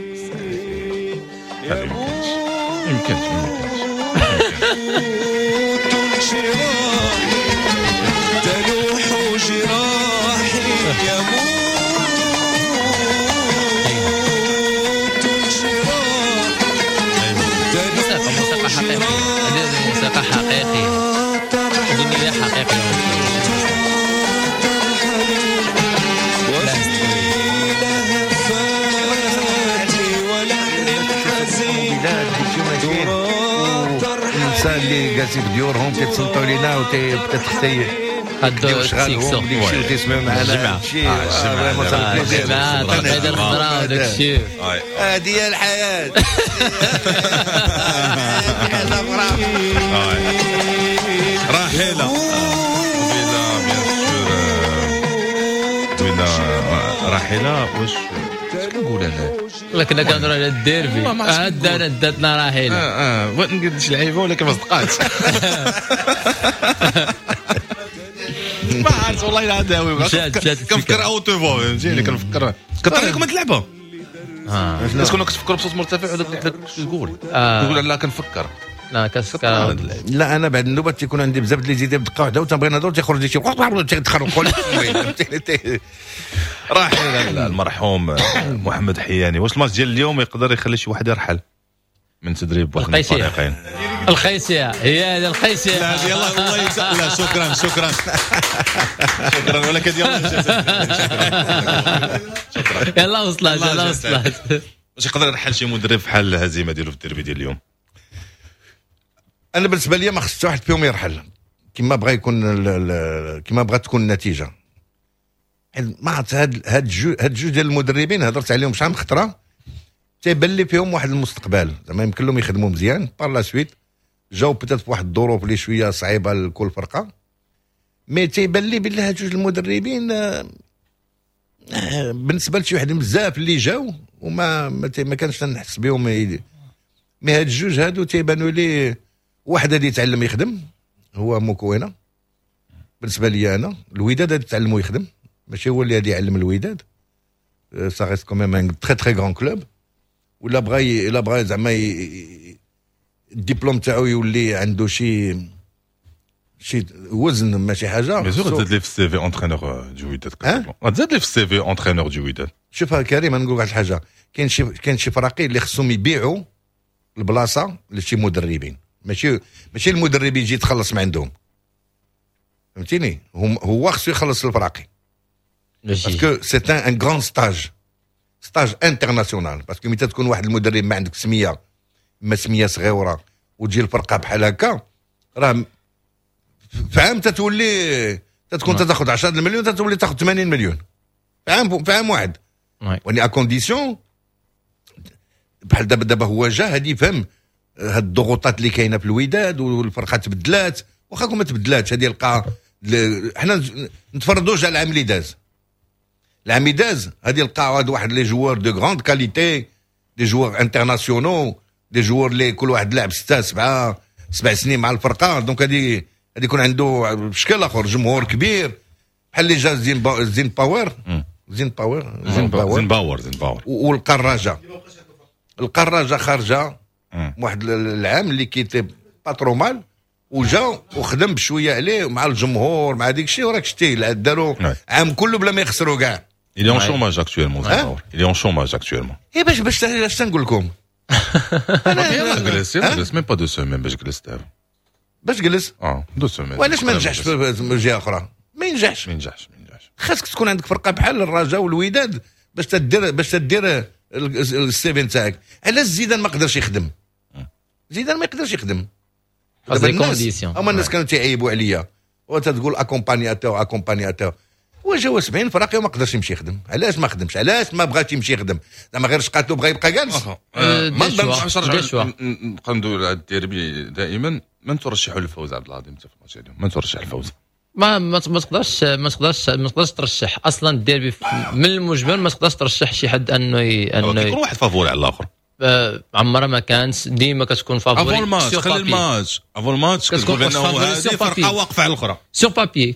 ما يمكنش يمكنش يموت تلوح جراحي، يموت موسيقى موسيقى حقيقية، هذه موسيقى حقيقية، أغنية حقيقية. الانسان اللي جالسين في ديورهم كيتصنتوا علينا وتيبدا حتى يقضيو شغالهم ديك الشيء وتسمعوا معنا شي الجمعة التقعيده الخضراء وداك الشيء. هذه هي الحياة. حاجة اخرى راحلة bien sûr راحلة. واش كنقول انا؟ لا كنا كنهضروا على الديربي، عاد داتنا راحلة. اه اه بغيت نقول شي لعيبة ولكن ما صدقاتش. ما عرفت والله الا داوي كنفكر haute voix، فهمتيني؟ كنفكر كطرح لكم هاد اللعبة. اه كنا كتفكروا بصوت مرتفع وداك اللي حداك تقول تقول لا كنفكر. لا كتفكر. لا انا بعد النوبة تيكون عندي بزاف ديال les idées بدقة واحدة وتنبغي نهضر تيخرج لي شي تيتخربقوا لي. راحل المرحوم محمد حياني. واش الماتش ديال اليوم يقدر يخلي شي واحد يرحل من تدريب واحد من الفريقين؟ الخيسيه هي هذه الخيسيه. لا يلا والله لا شكرا شكرا شكرا ولكن يلا شكرا يلا وصلت يلا وصلت. واش يقدر يرحل شي مدرب بحال الهزيمة ديالو في الديربي ديال اليوم؟ انا بالنسبة لي ما خص حتى واحد فيهم يرحل كما بغى يكون كما بغات تكون النتيجة. ما عرفت هاد هاد جو هاد جوج ديال المدربين هضرت عليهم شحال من خطره، تيبان لي فيهم واحد المستقبل زعما يمكن لهم يخدموا مزيان par la suite. جاو peut-être في واحد الظروف اللي شوية صعيبة لكل فرقه، mais تيبان لي باللي هاد جوج المدربين بالنسبة لشي واحد بزاف اللي جاو وما ما كانش نحس بهم. mais هاد الجوج هادو تيبانوا لي واحد غادي يتعلم يخدم هو موكوينه بالنسبة لي انا. الوداد غادي يتعلموا يخدم، ماشي هو اللي غادي يعلم الوداد. ça reste quand même un très très grand club. ولا بغى الا بغى زعما الدبلوم تاعو يولي عنده شي شي وزن ماشي حاجة. bien sûr تزاد لي في ال CV entraîneur du وداد، تزاد لي في ال CV entraîneur du وداد. شوف كريم نقول واحد الحاجة، كاين شي كاين شي فراقي اللي خصهم يبيعوا البلاصة لشي مدربين، ماشي ماشي المدرب يجي يتخلص من عندهم، فهمتيني؟ هو خصو يخلص الفراقي parce que c'est un grand stage stage international. parce que ملي تكون واحد المدرب ما عندك سميه، ما سميه صغيرة، وتجي الفرقة بحال هكا، راه في عام تتولي تتكون تاخذ عشرة المليون تتولي تاخذ ثمانين مليون في عام في عام واحد. وني à condition بحال دابا دابا هو جا هادي يفهم هاد الضغوطات اللي كاينه في الوداد والفرقة تبدلات، واخا كون ما تبدلاتش هادي يلقى. حنا نتفرضوش على العام اللي داز، العام اللي داز هادي لقى واحد les joueurs de grande qualité، des joueurs internationaux، des joueurs اللي كل واحد لعب ستة سبعة سبع سنين مع الفرقة. donc هادي هادي يكون عنده بشكل اخر جمهور كبير بحال اللي جا زين با زين باور زين باور زين باور زين باور زين باور والقراجه القراجه خارجه واحد العام اللي qui était pas trop mal، وجا وخدم بشوية عليه مع الجمهور مع ديك الشيء، وراك شتي داروا عام كله بلا ما يخسروا كاع. Il est en chômage actuellement. Il est en chômage actuellement. إيه باش باش اش تنقول لكم؟ انا جلس جلس même pas deux semaines باش جلس دابا. باش جلس؟ اه deux semaines. وعلاش ما نجحش في جهة اخرى؟ ما ينجحش. ما ينجحش ما ينجحش. خاصك تكون عندك فرقه بحال الرجاء والوداد باش تدير باش تدير ال CV نتاعك. علاش زيدان ما قدرش يخدم؟ زيدان ما يقدرش يخدم. دابا les conditions هما الناس كانوا تيعيبوا عليا وتتقول accompagnateur accompagnateur، وجاو سبعين فراقي وما قدرش يمشي يخدم. علاش ما خدمش؟ علاش ما بغاش يمشي يخدم؟ زعما غير شقاتو بغى يبقى جالس. ما نظنش. نبقى ندوي على الديربي دائما. من ترشح للفوز عبد العظيم في الماتش اليوم؟ من ترشح الفوز؟ ما ما تقدرش ما تقدرش ما تقدرش ترشح اصلا الديربي من المجمل. ما تقدرش ترشح شي حد انه انه يكون واحد favori على الاخر. عمرها ما كانت، ديما كتكون favori. avant الماتش، خلي الماتش avant الماتش كتقول بانه هذه فرقه واقفة على الاخرى sur papier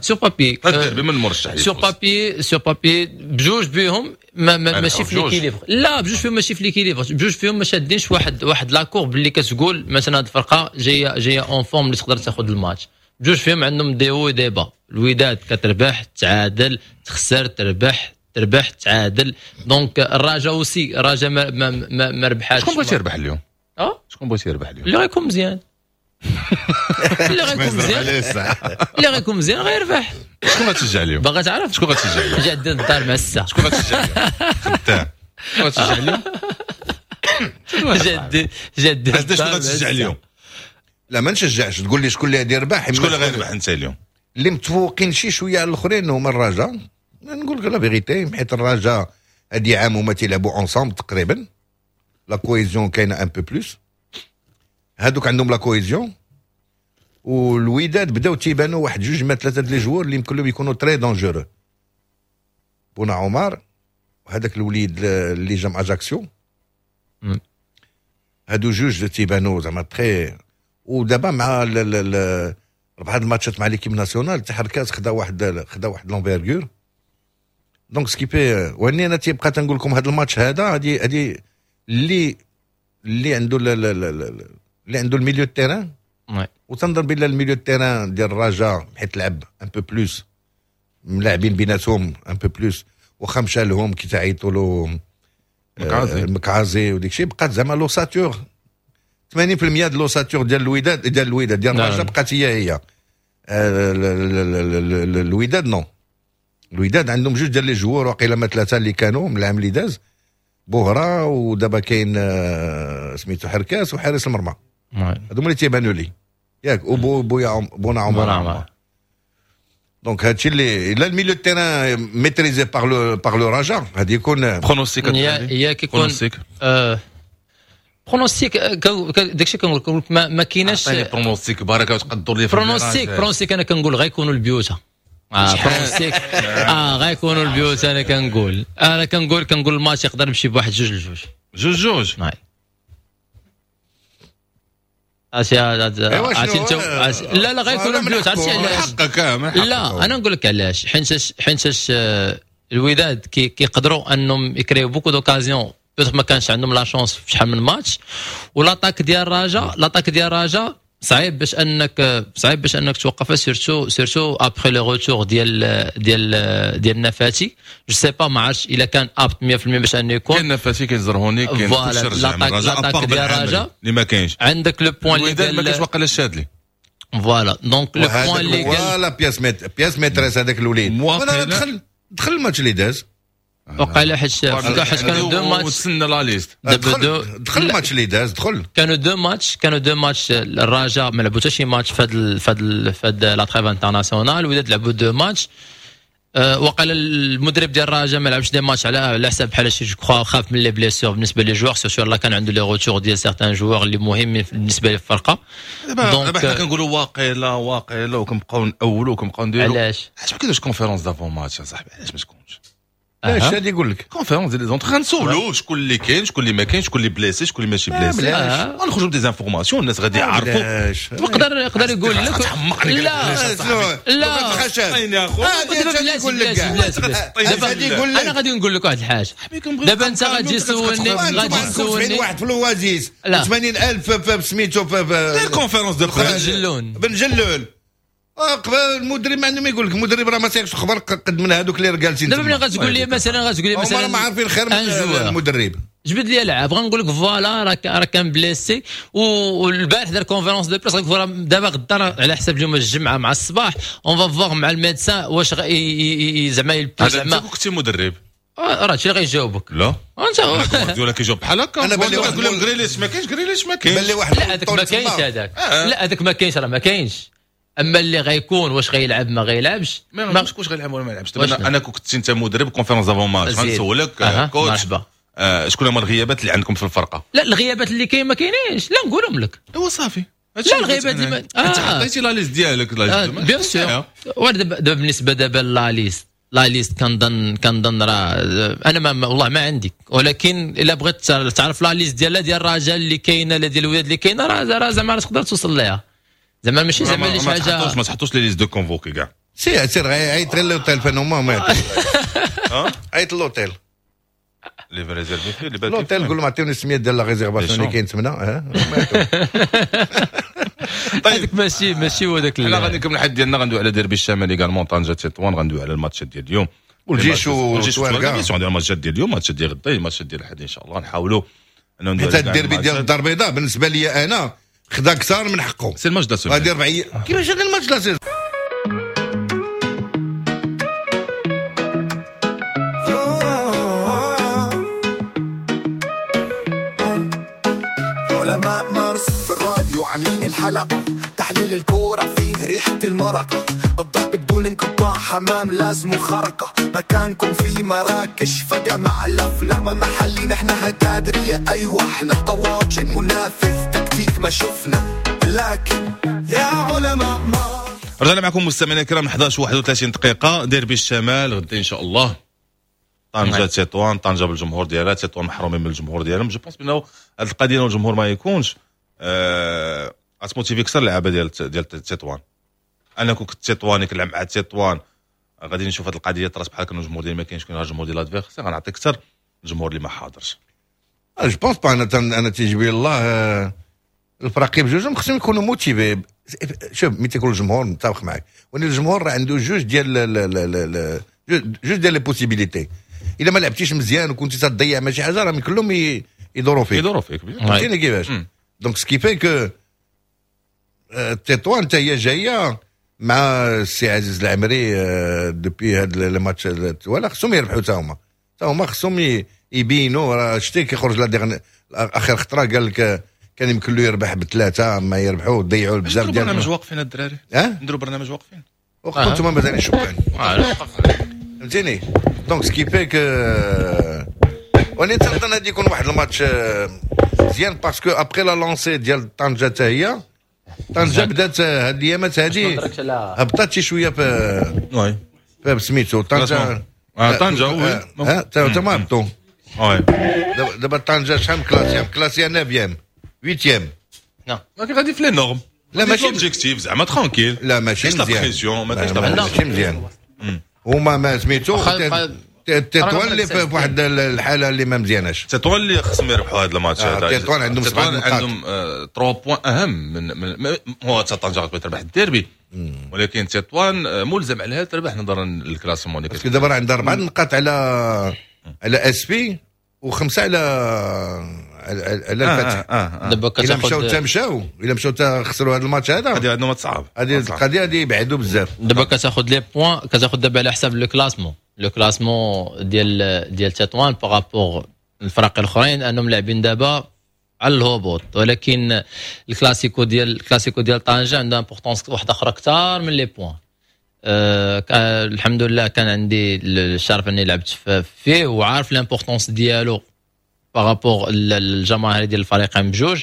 sur papier الديربي من المرشح sur papier sur papier بجوج بيهم ما ما ماشي في l'équilibre. لا بجوج فيهم ماشي في l'équilibre، بجوج فيهم ما شادينش واحد واحد la courbe اللي كتقول مثلا هذه الفرقة جاية جاية en forme اللي تقدر تاخذ الماتش. بجوج فيهم عندهم des hauts des bas. الوداد كتربح تعادل تخسر تربح تربح تعادل. donc الرجاء aussi الرجاء ما ما ما, ما ربحاتش. شكون بغيتي يربح اليوم؟ اه شكون بغيتي يربح اليوم؟ اللي غيكون مزيان. اللي غيكون مزيان اللي غيكون مزيان غيربح. شكون غتشجع اليوم؟ باغا تعرف شكون غتشجع اليوم؟ جا عندنا الدار مع الساعة. شكون غتشجع اليوم؟ خدام. شكون غتشجع اليوم؟ جد جد شكون غتشجع اليوم؟ لا ما نشجعش. تقول لي شكون اللي غادي يربح؟ شكون اللي غيربح انت اليوم؟ اللي متفوقين شي شوية على الاخرين هما الرجاء، نقول لك la vérité، حيت الرجاء هادي عام هما تيلعبوا ensemble تقريبا، la cohésion كاينه un peu plus، هادوك عندهم la cohésion. والوداد بداو تيبانوا واحد جوج ما ثلاثة les joueurs اللي يمكن لهم يكونوا très dangereux، بونا عمر وهذاك الوليد اللي جا مع اجاكسيو، هادو جوج تيبانوا زعما très. ودابا مع ربحة الماتشات مع l'équipe nationale تحركات، خدا واحد خدا واحد l'envergure، donc ce qui fait واني انا تيبقى تنقول لكم هذا الماتش هذا هادي هادي اللي اللي عنده اللي عنده ال milieu terrain، وتنظن بان ال milieu terrain ديال الرجاء حيت لعب un peu plus ملاعبين بيناتهم un peu plus، واخا مشى لهم كي تعيطوا له المكعازي وديك الشيء، بقات زعما l'ossature ثمانين بالمية ديال l'ossature ديال الوداد ديال الوداد ديال الرجاء بقات هي هي. الوداد non، الوداد عندهم جوج ديال les joueurs وقيلا ما ثلاثة اللي كانوا من العام اللي داز، بوهرة ودابا كاين سميتو حركاس وحارس المرمى، هادو هما اللي تيبانوا لي ياك، وبو بويا بونا عمر. donc هادشي اللي الا ال milieu terrain maîtrisé par le par le رجا غادي يكون pronostic. هي كيكون pronostic داكشي كنقول لك ما, ما كايناش pronostic بركة وتقدر لي pronostic. pronostic انا كنقول غيكونوا البيوتا اه pronostic اه غيكونوا البيوت. انا كنقول انا كنقول كنقول الماتش يقدر يمشي بواحد جوج لجوج جوج جوج. نعم عرفتي عرفتي انت لا لا غيكونوا البيوت. عرفتي علاش؟ حقك. لا انا نقول لك علاش، حيت حيت الوداد كيقدروا انهم يكريو beaucoup d'occasions، peut-être ما كانش عندهم la chance في شحال من ماتش، و l'attaque ديال الرجاء l'attaque ديال الرجاء صعيب باش انك صعيب باش انك توقفها، surtout surtout après le retour ديال ديال ديال النفاتي. je sais pas ما عرفتش الا كان apte مية بالمية باش انه يكون كاين نفاتي، كاين زرهوني، كاين كلشي رجع من الرجاء l'attaque ديال الرجاء اللي ما كاينش. عندك le point اللي قال ما كاينش واقيلا الشادلي voilà donc le point اللي قال voilà pièce maît pièce maîtresse هذاك الوليد وانا دخل دخل الماتش اللي داز وقع حيت حيت كانوا deux matchs وتسنى la liste دخل الماتش اللي داز دخل كانوا deux matchs كانوا deux matchs الرجاء ما لعبوا حتى شي ماتش في هاد في هاد في هاد la trêve internationale، وداد لعبوا deux matchs. أه وقال المدرب ديال الرجاء ما لعبش des matchs على على حساب بحال شي je crois خاف من les blessures بالنسبة les joueurs، surtout لا كان عنده les retours ديال certains joueurs اللي مهمين بالنسبة للفرقة. دابا دابا حنا كنقولوا واقيلا واقيلا وكنبقاو نأولوا وكنبقاو نديروا. علاش؟ علاش ما كاينش conférence d'avant-match يا صاحبي؟ علاش ما تكونش؟ اش غادي يقول لك conférence ديال les entraîneurs، غنسولو شكون اللي كاين شكون اللي ما كاينش، شكون اللي blessé شكون اللي ماشي blessé، غنخرجوا ب des informations الناس غادي يعرفوا. يقدر يقدر يقول لك لا لا لا انا غادي نقول لك واحد الحاجة. دابا انت غادي تسولني غادي تسولني واحد في الوازيس ثمانين ألف سميتو دير conférence de presse بن جلون بن جلون قبل المدرب ما عنده ما يقول لك، المدرب راه ما تيقش خبر قد من هذوك اللي جالسين. دابا ملي غتقول لي مثلا غتقول لي مثلا هما ما عارفين خير من المدرب، جبد لي لعاب غنقول لك voilà راه راه كان blessé والبارح دار conférence de presse، غنقول دابا غدا على حساب اليوم الجمعة مع الصباح on va voir مع ال médecin واش زعما زعما كنتي مدرب راه هادشي اللي غيجاوبك. لا انت ولا كيجاوب بحال هكا. انا بالي واحد نقول غريليش ما كاينش، غريليش ما كاينش، بالي واحد لا هذاك ما كاينش، هذاك لا هذاك ما كاينش، راه ما كاينش. اما اللي غيكون واش غيلعب ما غيلعبش ما نعرفش واش غيلعب ولا ما يلعبش. دابا انا كنت انت مدرب conférence d'avant-match غنسولك coach آه شكون هما الغيابات اللي عندكم في الفرقة؟ لا الغيابات اللي كاين ما كاينينش، لا نقولهم لك. ايوا صافي لا الغيابات اللي ما... آه. انت حطيتي la liste ديالك la liste bien sûr. دابا بالنسبة دابا la liste la liste كنظن كنظن راه انا ما والله ما عندي، ولكن الا بغيت تعرف la liste ديال ديال الرجاء اللي كاينه لا ديال الوداد اللي كاينه راه راه زعما تقدر توصل ليها. زعما ماشي زعما اللي شي حاجة ما تحطوش les listes de convoqués كاع. سير سير عيط غير l'hôtel فين هما ما عيط l'hôtel اللي réservé فيه اللي l'hôtel قول لهم عطيوني السمية ديال la réservation اللي كاين تما. طيب ماشي ماشي هو داك. حنا غادي نكمل الحد ديالنا، غندوي على ديربي الشمالي également طنجه تطوان، غندوي على الماتشات ديال اليوم والجيش والتواركه، غندوي على الماتشات ديال اليوم، الماتشات ديال غدا، الماتشات ديال الحد ان شاء الله. نحاولوا حيت الديربي ديال الدار البيضاء بالنسبة لي انا خدا اكثر من حقه. c'est الماتش دا غادي ربع كيفاش هذا الماتش la saison؟ علماء مارس في الراديو عاملين الحلقة. تحليل الكورة فيه ريحة المرق، الضرب بدون انقطاع، حمام لازم خرقة، مكانكم في مراكش فجمع الأفلام محلي، نحن هتادرية، أيوة احنا طواجن، منافذ تكتيك ما شفنا، لكن يا علماء ما. رجعنا معكم مستمعينا الكرام، إحداش وواحد وثلاثين دقيقة. ديربي الشمال غدا إن شاء الله، طنجة تطوان، طنجة بالجمهور ديالها، تطوان محرومين من الجمهور ديالهم. je pense بأنه هذه القضية الجمهور ما يكونش أه... غت motiver اكثر اللعابه ديال ديال تطوان. انا كون كنت تطواني كنلعب مع تطوان غادي نشوف هذه القضية طرات بحال كان الجمهور ديالي ما كاينش، كاين الجمهور ديال l'adversaire، غنعطي اكثر الجمهور اللي ما حاضرش. je pense pas. انا انا تيجي الله الفراقي بجوجهم خصهم يكونوا motivés. شوف ملي تيكون الجمهور متفق معك، ولكن الجمهور راه عنده جوج ديال جوج ديال les possibilités. الا ما لعبتيش مزيان وكنتي تضيع ماشي حاجة، راه كلهم يدوروا فيك. يدوروا فيك. فهمتيني كيفاش؟ donc ce qui fait que تطوان حتى هي جاية مع السي عزيز العمري depuis هاد الماتش ولا خصهم يربحوا. حتى هما حتى هما خصهم يبينوا. راه شتي كيخرج la dernière اخر خطره قال لك كان يمكن له يربح بثلاثة، ما يربحوا ضيعوا بزاف ديال برنامج واقفين الدراري. اه نديروا برنامج واقفين. وقفتوا انتم مازال شبان، فهمتيني؟ donc ce qui fait que وانا تنظن غادي يكون واحد الماتش مزيان، parce que après la lancée ديال طنجه، حتى هي طنجه بدات هاد الايامات هادي هبطات شي شوية في oui سميتو طنجه. طنجه oui، تا ما هبطوا. oui. دابا طنجه شحال classée؟ classée neuvième، huitième. لكن غادي في les normes. لا ماشي objectif زعما tranquille. لا ماشي مزيان. ما كاينش ماشي مزيان. هما ما سميتو تطوان اللي في واحد الحالة اللي ما مزياناش. تطوان اللي خصهم يربحوا هذا الماتش هذا. تطوان عندهم سبعة نقاط، عندهم ثلاثة points اهم من, من هو طنجه غتبغي تربح الديربي، ولكن تطوان ملزم عليها تربح نظرا لل classement اللي parce que دابا عندها اربع نقاط على على آسفي وخمسة على على الفتح. آه آه آه. دابا الا مشاو تا مشاو، الا مشاو تا خسروا هذا الماتش هذا، هذه عندهم صعب. هذه القضية هذه يبعدوا بزاف. دابا كتاخذ les points، كتاخذ دابا على حساب le classement le classement ديال ديال تطوان par rapport الفرق الاخرين انهم لاعبين دابا على الهبوط، ولكن الكلاسيكو ديال الكلاسيكو ديال طنجه عندها importance واحدة اخرى اكثر من les points. أه الحمد لله كان عندي الشرف اني لعبت فيه وعارف l'importance ديالو par rapport الجماهير ديال الفريقين بجوج.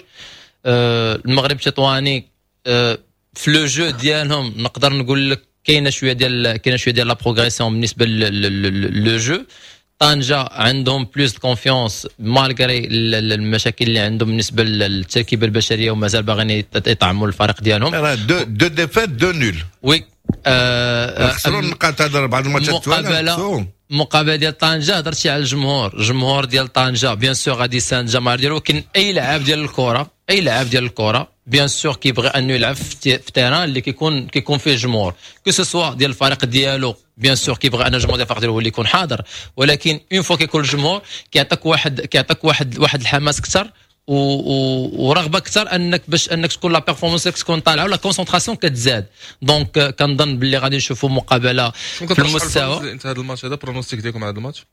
أه المغرب التطواني أه في le jeu ديالهم نقدر نقول لك كاينه شوية ديال كاينه شوية ديال la progression بالنسبة le jeu. طنجة عندهم plus confiance malgré المشاكل اللي عندهم بالنسبة للتركيبه البشريه، ومازال باغيين يطعموا الفريق ديالهم. راه deux deux défaites، deux nuls. oui. خسروا النقاط هذا بعض الماتشات. المقابلة المقابلة ديال طنجه، هضرتي على الجمهور، الجمهور ديال طنجه bien sûr غادي يساند الجماهير ديالو، ولكن اي لاعب ديال الكره اي لاعب ديال الكره bien sûr كيبغي انه يلعب في terrain اللي كيكون كيكون فيه جمهور، que ce soit ديال الفريق ديالو. bien sûr كيبغي ان الجمهور ديال الفريق ديالو هو اللي يكون حاضر، ولكن une fois كيكون الجمهور كيعطيك واحد كيعطيك واحد واحد الحماس اكثر ورغبه اكثر انك باش انك تكون la performance تكون طالعه و la concentration كتزاد. donc كنظن باللي غادي نشوفوا مقابله في المستوى. انت هذا الماتش هذا، pronostic ديالكم هذا الماتش؟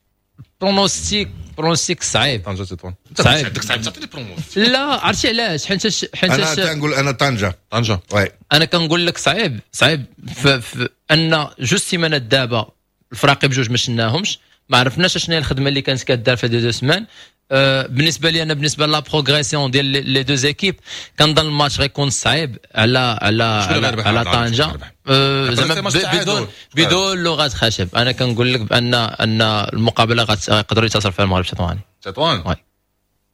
pronostic pronostic صعيب. طنجه تطوان. صعيب. عندك صعيب تعطيني pronostic. لا، عرفتي علاش؟ حيت حيت انا تنقول انا طنجه. طنجه. oui. انا كنقول لك صعيب صعيب في, في ان جوج سيمانات دابا الفراقي بجوج ما شناهمش، ما عرفناش شنو هي الخدمة اللي كانت كدار في deux semaines. أه بالنسبة لي انا، بالنسبة la progression ديال les deux équipes، كنظن الماتش غيكون صعيب على على على, على طنجه. أه زعما بدون بدون لغة خشب، انا كنقول لك بان ان المقابلة غيقدروا ينتصر فيها المغرب التطواني. تطوان. oui.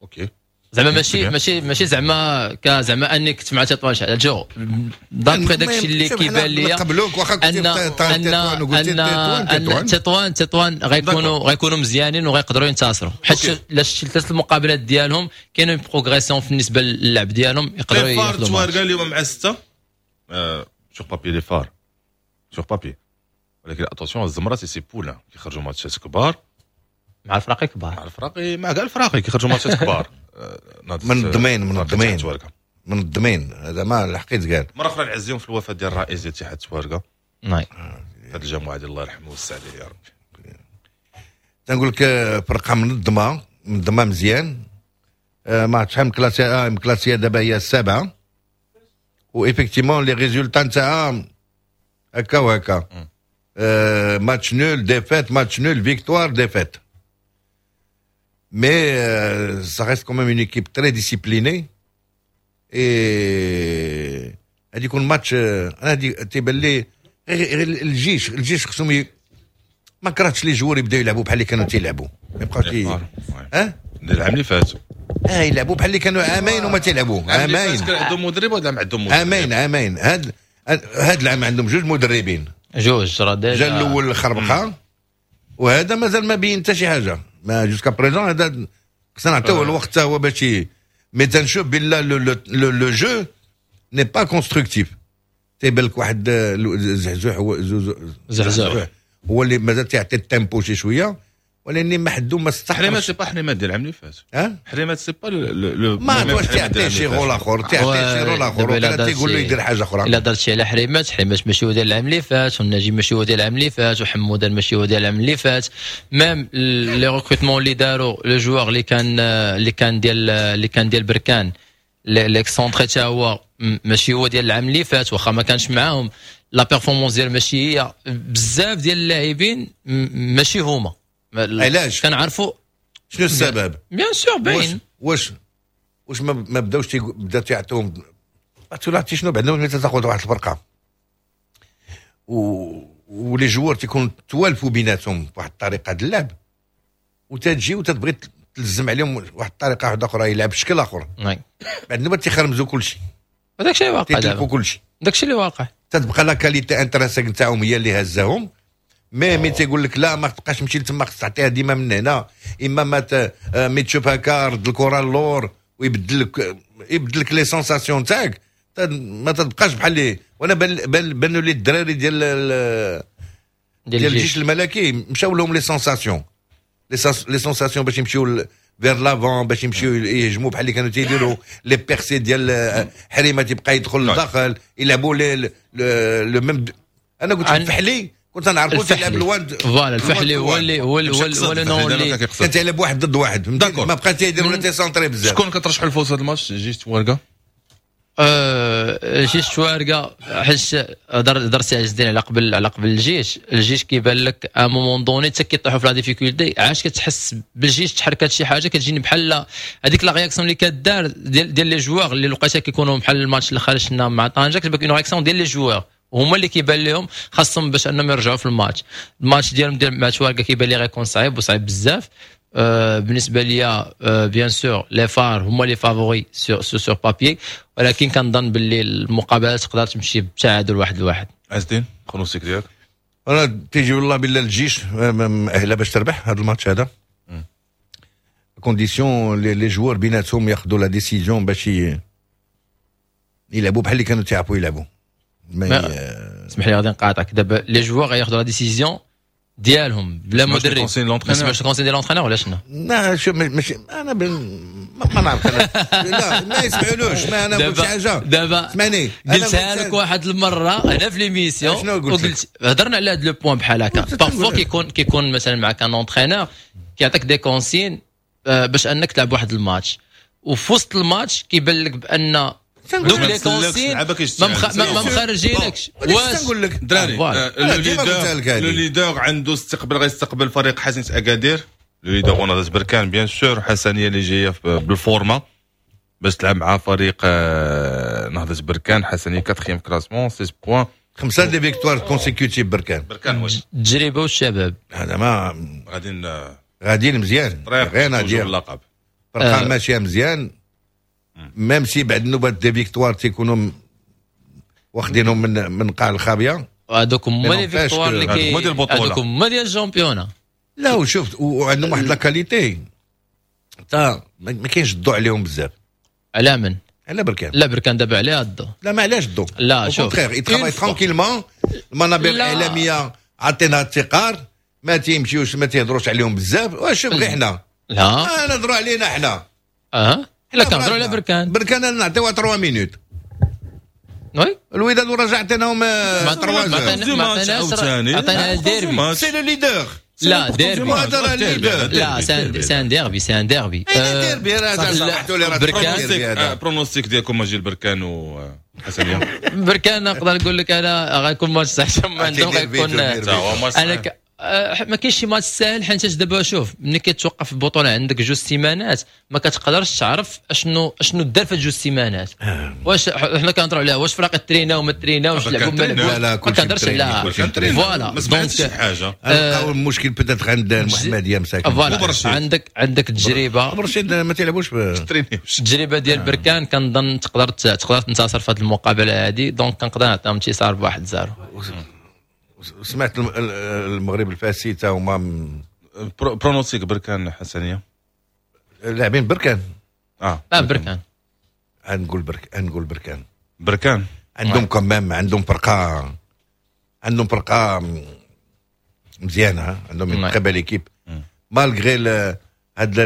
OK. زعما ماشي ماشي ماشي زعما زعما اني كنت مع تطوان شحال جو، d'après داكشي اللي كيبان لي قبلوك واخا كنت ان ان ان تطوان تطوان غيكونوا غيكونوا مزيانين وغيقدروا ينتصروا، حيت لا شتي ثلاث المقابلات ديالهم كاينين progression بالنسبة للعب ديالهم، يقدروا ياخذوا. تواركا اليوم مع ستة sur papier les FAR، sur papier، ولكن attention الزمرة c'est poulains كيخرجوا ماتشات كبار. مع الفراقي كبار. مع الفراقي، مع كاع الفراقي كيخرجوا ماتشات كبار. منظمين منظمين منظمين، هذا ما الحقيت قال. مرة اخرى نعزيهم في الوفاة ديال الرئيس ديال اتحاد تواركه ناي هذه الجماعة ديال، الله يرحمه ويوسع عليه يا ربي. تنقول لك فرقه منظمة منظمة مزيان. آه، ما عرفت شحال classée آه classée دابا هي السابعه. و effectivement les résultats نتاعها هكا وهكا، آه match nul، défaite، match nul، victoire، défaite، mais ça reste quand même une équipe très disciplinée et غادي يكون ماتش. انا هادي تيبان لي غير الجيش الجيش خصهم، ما كرهتش les joueurs يبداو يلعبوا بحال اللي كانوا تيلعبوا، ما يبقاوش اه العام اللي فات. اه يلعبوا بحال اللي كانوا عامين وما تيلعبوا عامين. كان عندهم مدرب ولا عندهم مدرب؟ عامين عامين. هاد هاد العام عندهم جوج مدربين. جوج راه déjà. جا الاول خربقه، وهذا مازال ما بين حتى شي حاجه، ما jusqu'à présent. هذا خصنا نعطيوه الوقت هو باش، mais تنشوف بلا le le jeu n'est pas constructif. تيبان لك واحد زحزوح، هو زحزوح هو اللي مازال تيعطي ال tempo شي شويه، ولكن ما حدو ما استحقش. حريمات c'est pas حريمات ديال العام اللي فات. ها حريمات c'est pas le ما واش تعطيه شي rôle اخر، تعطيه شي rôle اخر ولا تيقول له يدير حاجة اخرى. الا درت شي على حريمات، حريمات ماشي هو ديال العام اللي فات، والنجيب ماشي هو ديال العام اللي فات، وحموده ماشي هو ديال العام اللي فات. même les recrutements اللي داروا، le joueur اللي كان اللي كان ديال اللي كان ديال بركان، l'excentré، تا هو ماشي هو ديال العام اللي فات، واخا ما كانش معاهم la performance ديال ماشي هي. بزاف ديال اللاعبين ماشي هما. علاش؟ كنعرفوا. شنو السبب؟ bien sûr باين. واش واش ما بداوش بدا تيعطيهم؟ عرفتي شنو؟ بعد ملي تاخذ واحد الفرقة و و les joueurs تيكونوا توالفوا بيناتهم بواحد الطريقة د اللعب، وتجي وتتبغي تلزم عليهم واحد الطريقة واحدة اخرى، يلعب بشكل اخر، بعد النوبة تيخرمزوا كل شيء. هذاك الشيء واقع. تيتلفوا كل شيء. داك الشيء اللي واقع. تتبقى la qualité intrinsèque نتاعهم هي اللي هزاهم، mais mais تيقول لك لا، ما تبقاش تمشي لتما، خصك تعطيها ديما من هنا، اما ما ت... mais تشوف هكا رد الكره اللور ويبدل لك يبدل لك les sensations تاعك، ما تبقاش بحال اللي وانا بان بان بانوا لي الدراري ديال ديال الجيش الملكي مشاو لهم les sensations les sensations باش يمشيو vers l'avant، باش يمشيو يهجموا بحال اللي كانوا تيديروا، les percées ديال حريمه تيبقى يدخل للداخل، يلعبوا les le même. انا قلت الفحلي كنت نعرفو تيلعب ال un voilà، الفحلي هو اللي هو اللي هو اللي كان تيلعب واحد ضد واحد، ما بقى تيدير ولا تي centrer بزاف. شكون كترشحوا الفوز هذا الماتش، جيش توارقه؟ أه جيش توارقه، حيت هضر هضر سي عز الدين على قبل على قبل الجيش. الجيش كيبان لك à un moment donné حتى كيطيحوا في la difficulté عاش كتحس بالجيش تحركات شي حاجه، كتجيني بحال هذيك la réaction اللي كدار ديال ديال les joueurs اللي لقيتها كيكونوا بحال الماتش اللي خرجنا مع طنجه، كتبان une réaction ديال les joueurs هما اللي كيبان لهم خاصهم باش انهم يرجعوا في ال match. ال match ديالهم ديال مع توارقه كيبان لي غيكون صعيب وصعيب بزاف. آه، بالنسبة ليا bien sûr les FAR هما les favoris sur sur papier، ولكن كنظن باللي المقابلات تقدر تمشي بتعادل واحد لواحد. عز الدين، pronostic ديالك؟ انا تيجي والله بالله الجيش مأهله باش تربح هذا الماتش هذا، condition les joueurs بيناتهم ياخذوا la décision باش يلعبوا بحال اللي كانوا تيعرفوا يلعبوا. اسمح لي غادي نقاطعك، دابا les joueurs غياخذوا la décision ديالهم بلا مدرب، ما سمعتش ال consignes ديال l'entraîneur ولا شنو؟ لا شوف، ماشي انا ما نعرف انا، لا ما يسمعولوش، ما انا قلت شي حاجه. دابا اسمعني. قلتها لك واحد المرة انا في l'émission. شنو قلت؟ هضرنا على هذا le point بحال هكا، parfois كيكون كيكون مثلا معك un entraîneur كيعطيك des consignes باش انك تلعب واحد الماتش، وفي وسط الماتش كيبان لك بان دوك les consignes ما مخرجينكش. واش نقول لك دراري، le leader le leader عنده استقبال، غيستقبل فريق حسنية اكادير، le leader نهضة بركان bien sûr. حسنيه اللي جاية بال forme باش تلعب مع فريق آه، نهضة بركان. حسنيه quatrième classement، six points. خمسة des victoires consécutives بركان. بركان واش التجربة والشباب. هذا ما غادي غاديين مزيان، غير ديال اللقب. فرقه ماشية مزيان، même si بعد النوبات des victoires تيكونوا واخدينهم من من قاع الخابيه. هذوك هما les victoires اللي كي هذوك هما ديال ال championnat. لا وشفت وعندهم واحد la qualité تا ما كاينش الضوء عليهم بزاف. على من؟ على بركان. لا بركان دابا عليها الضوء. لا ما علاش الضوء؟ لا شوف، contraire، ils travaillent tranquillement. المنابر الاعلامية عطينا الثقار، ما تيمشيوش، ما تيهضروش عليهم بزاف. وشوف غير حنا. لا. آه نهضروا علينا حنا. اه لا كنهضروا على بركان. بركان نعطيوها ثلاثة minutes. oui. الوداد والرجاء عطيناهم ثلاثة. ما عطيناش، عطينا ال derby. c'est le leader. لا ديربي. هذا راه leader. لا، c'est un derby، c'est un derby. ديربي راه سمحتوا لي، راه بركان. ديربي هذا. pronostic ديالكم ماجي البركان وحسنيه. بركان نقدر نقول لك انا غيكون ماتش صعيب ما عندهم ديربي، غيكون ديربي. تا هو ماتش انا ك... آه، ما كاينش شي ماتش ساهل، حيت دابا شوف، ملي كتوقف البطولة عندك جوج سيمانات ما كتقدرش تعرف اشنو اشنو دار في جوج سيمانات. واش حنا كنهضروا عليها، واش فرق ترينا وما تريناوش، لعبوا ما بركان لعبوش؟ لا، لا، ما كلشي كنهضرش متريني، على كلشي متريني. voilà. ما سمعتش شي donc حاجه. لقاو المشكل peut-être عند المحمدية مساكن. voilà. وبرشيد. عندك عندك تجربه برشيد ما تيلعبوش ب- ترينيوش. التجربة ديال بركان كنظن تقدر تقدر تنتصر في هذه المقابلة هذه، donc كنقدر نعطيهم انتصار بواحد zéro. سمعت الم- ال- المغرب الفاسي تا هما م- pro- pronostic بركان حسنيه. لاعبين بركان. اه. لا، بركان. نقول برك نقول بركان. بركان. عندهم quand même عندهم فرقه عندهم فرقه مزيانه، عندهم oui. très belle équipe malgré هذا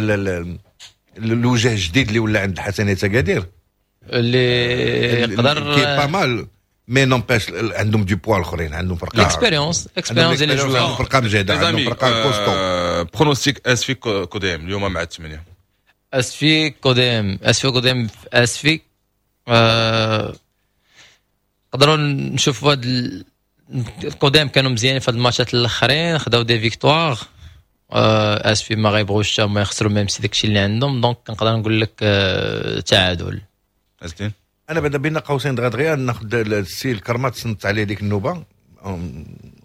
الوجه الجديد اللي ولا عند حسنيه اكادير. اللي يقدر qui est pas mal، mais n'empêche عندهم du poids الاخرين، عندهم فرقه l'expérience، l'expérience ديال les joueurs. عندهم فرقه مجهده، عندهم فرقه costaud. pronostic اسفي كوديم اليوم مع الثمانية. اسفي كوديم، اسفي كوديم في اسفي، آه، نقدروا نشوفوا هاد ال- الكوديم كانوا مزيانين في هاد الماتشات الاخرين، خداو des victoires. آه، اسفي ما غيبغوش هما يخسروا même si داكشي اللي عندهم، donc كنقدر نقول لك آه، تعادل. عزتين. انا بعدا بين قوسين دغيا دغيا ناخذ السي الكرمات، صنت عليه ديك النوبة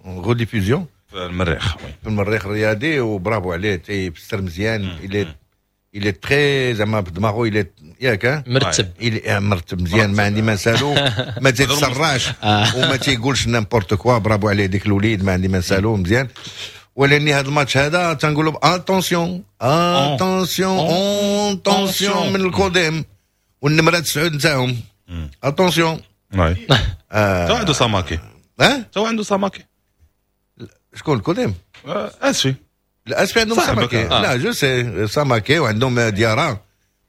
rediffusion. في المريخ، oui. في المريخ الرياضي، وبرافو عليه، تيفسر مزيان، il est il est très زعما بدماغو، il est ياك؟ مرتب. il est مرتب مزيان، ما عندي ما نسالو، ما تيتسرعش وما تيقولش n'importe quoi. برافو عليه ديك الوليد، ما عندي ما نسالو، مزيان. ولاني هذا الماتش هذا تنقولوا attention، attention، attention من الكوديم والنمره تسعود نتاعهم، attention. oui، تو عنده ساماكي. ها؟ تو عنده ساماكي. شكون الكوديم؟ آه، اسفي. لا، اسفي عندهم ساماكي. آه. لا، je sais، ساماكي وعندهم ديارا،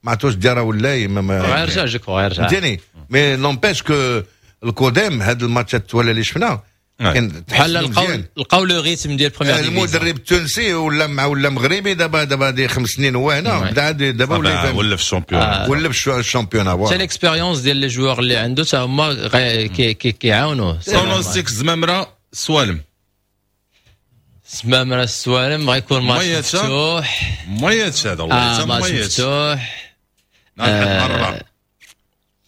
ما عرفتوش ديارا ولا ما غيرجع، je crois غيرجع. فهمتيني، mais n'empêche que الكوديم هاد الماتشات ولا اللي شفنا كان بحال لقاو لقاو le rythme ديال première. المدرب التونسي ولا مع ولا مغربي، دابا دابا دي خمس سنين هو هنا، بدا دابا ولا ولا في ال championnat. ولا في ال championnat. حتى l'expérience ديال les joueurs اللي عنده حتى هما كيعاونوه. pronostic زمامرة سوالم. زمامرة السوالم غيكون ماتش مفتوح. ميت هذا والله. آه، ماتش مفتوح. آه،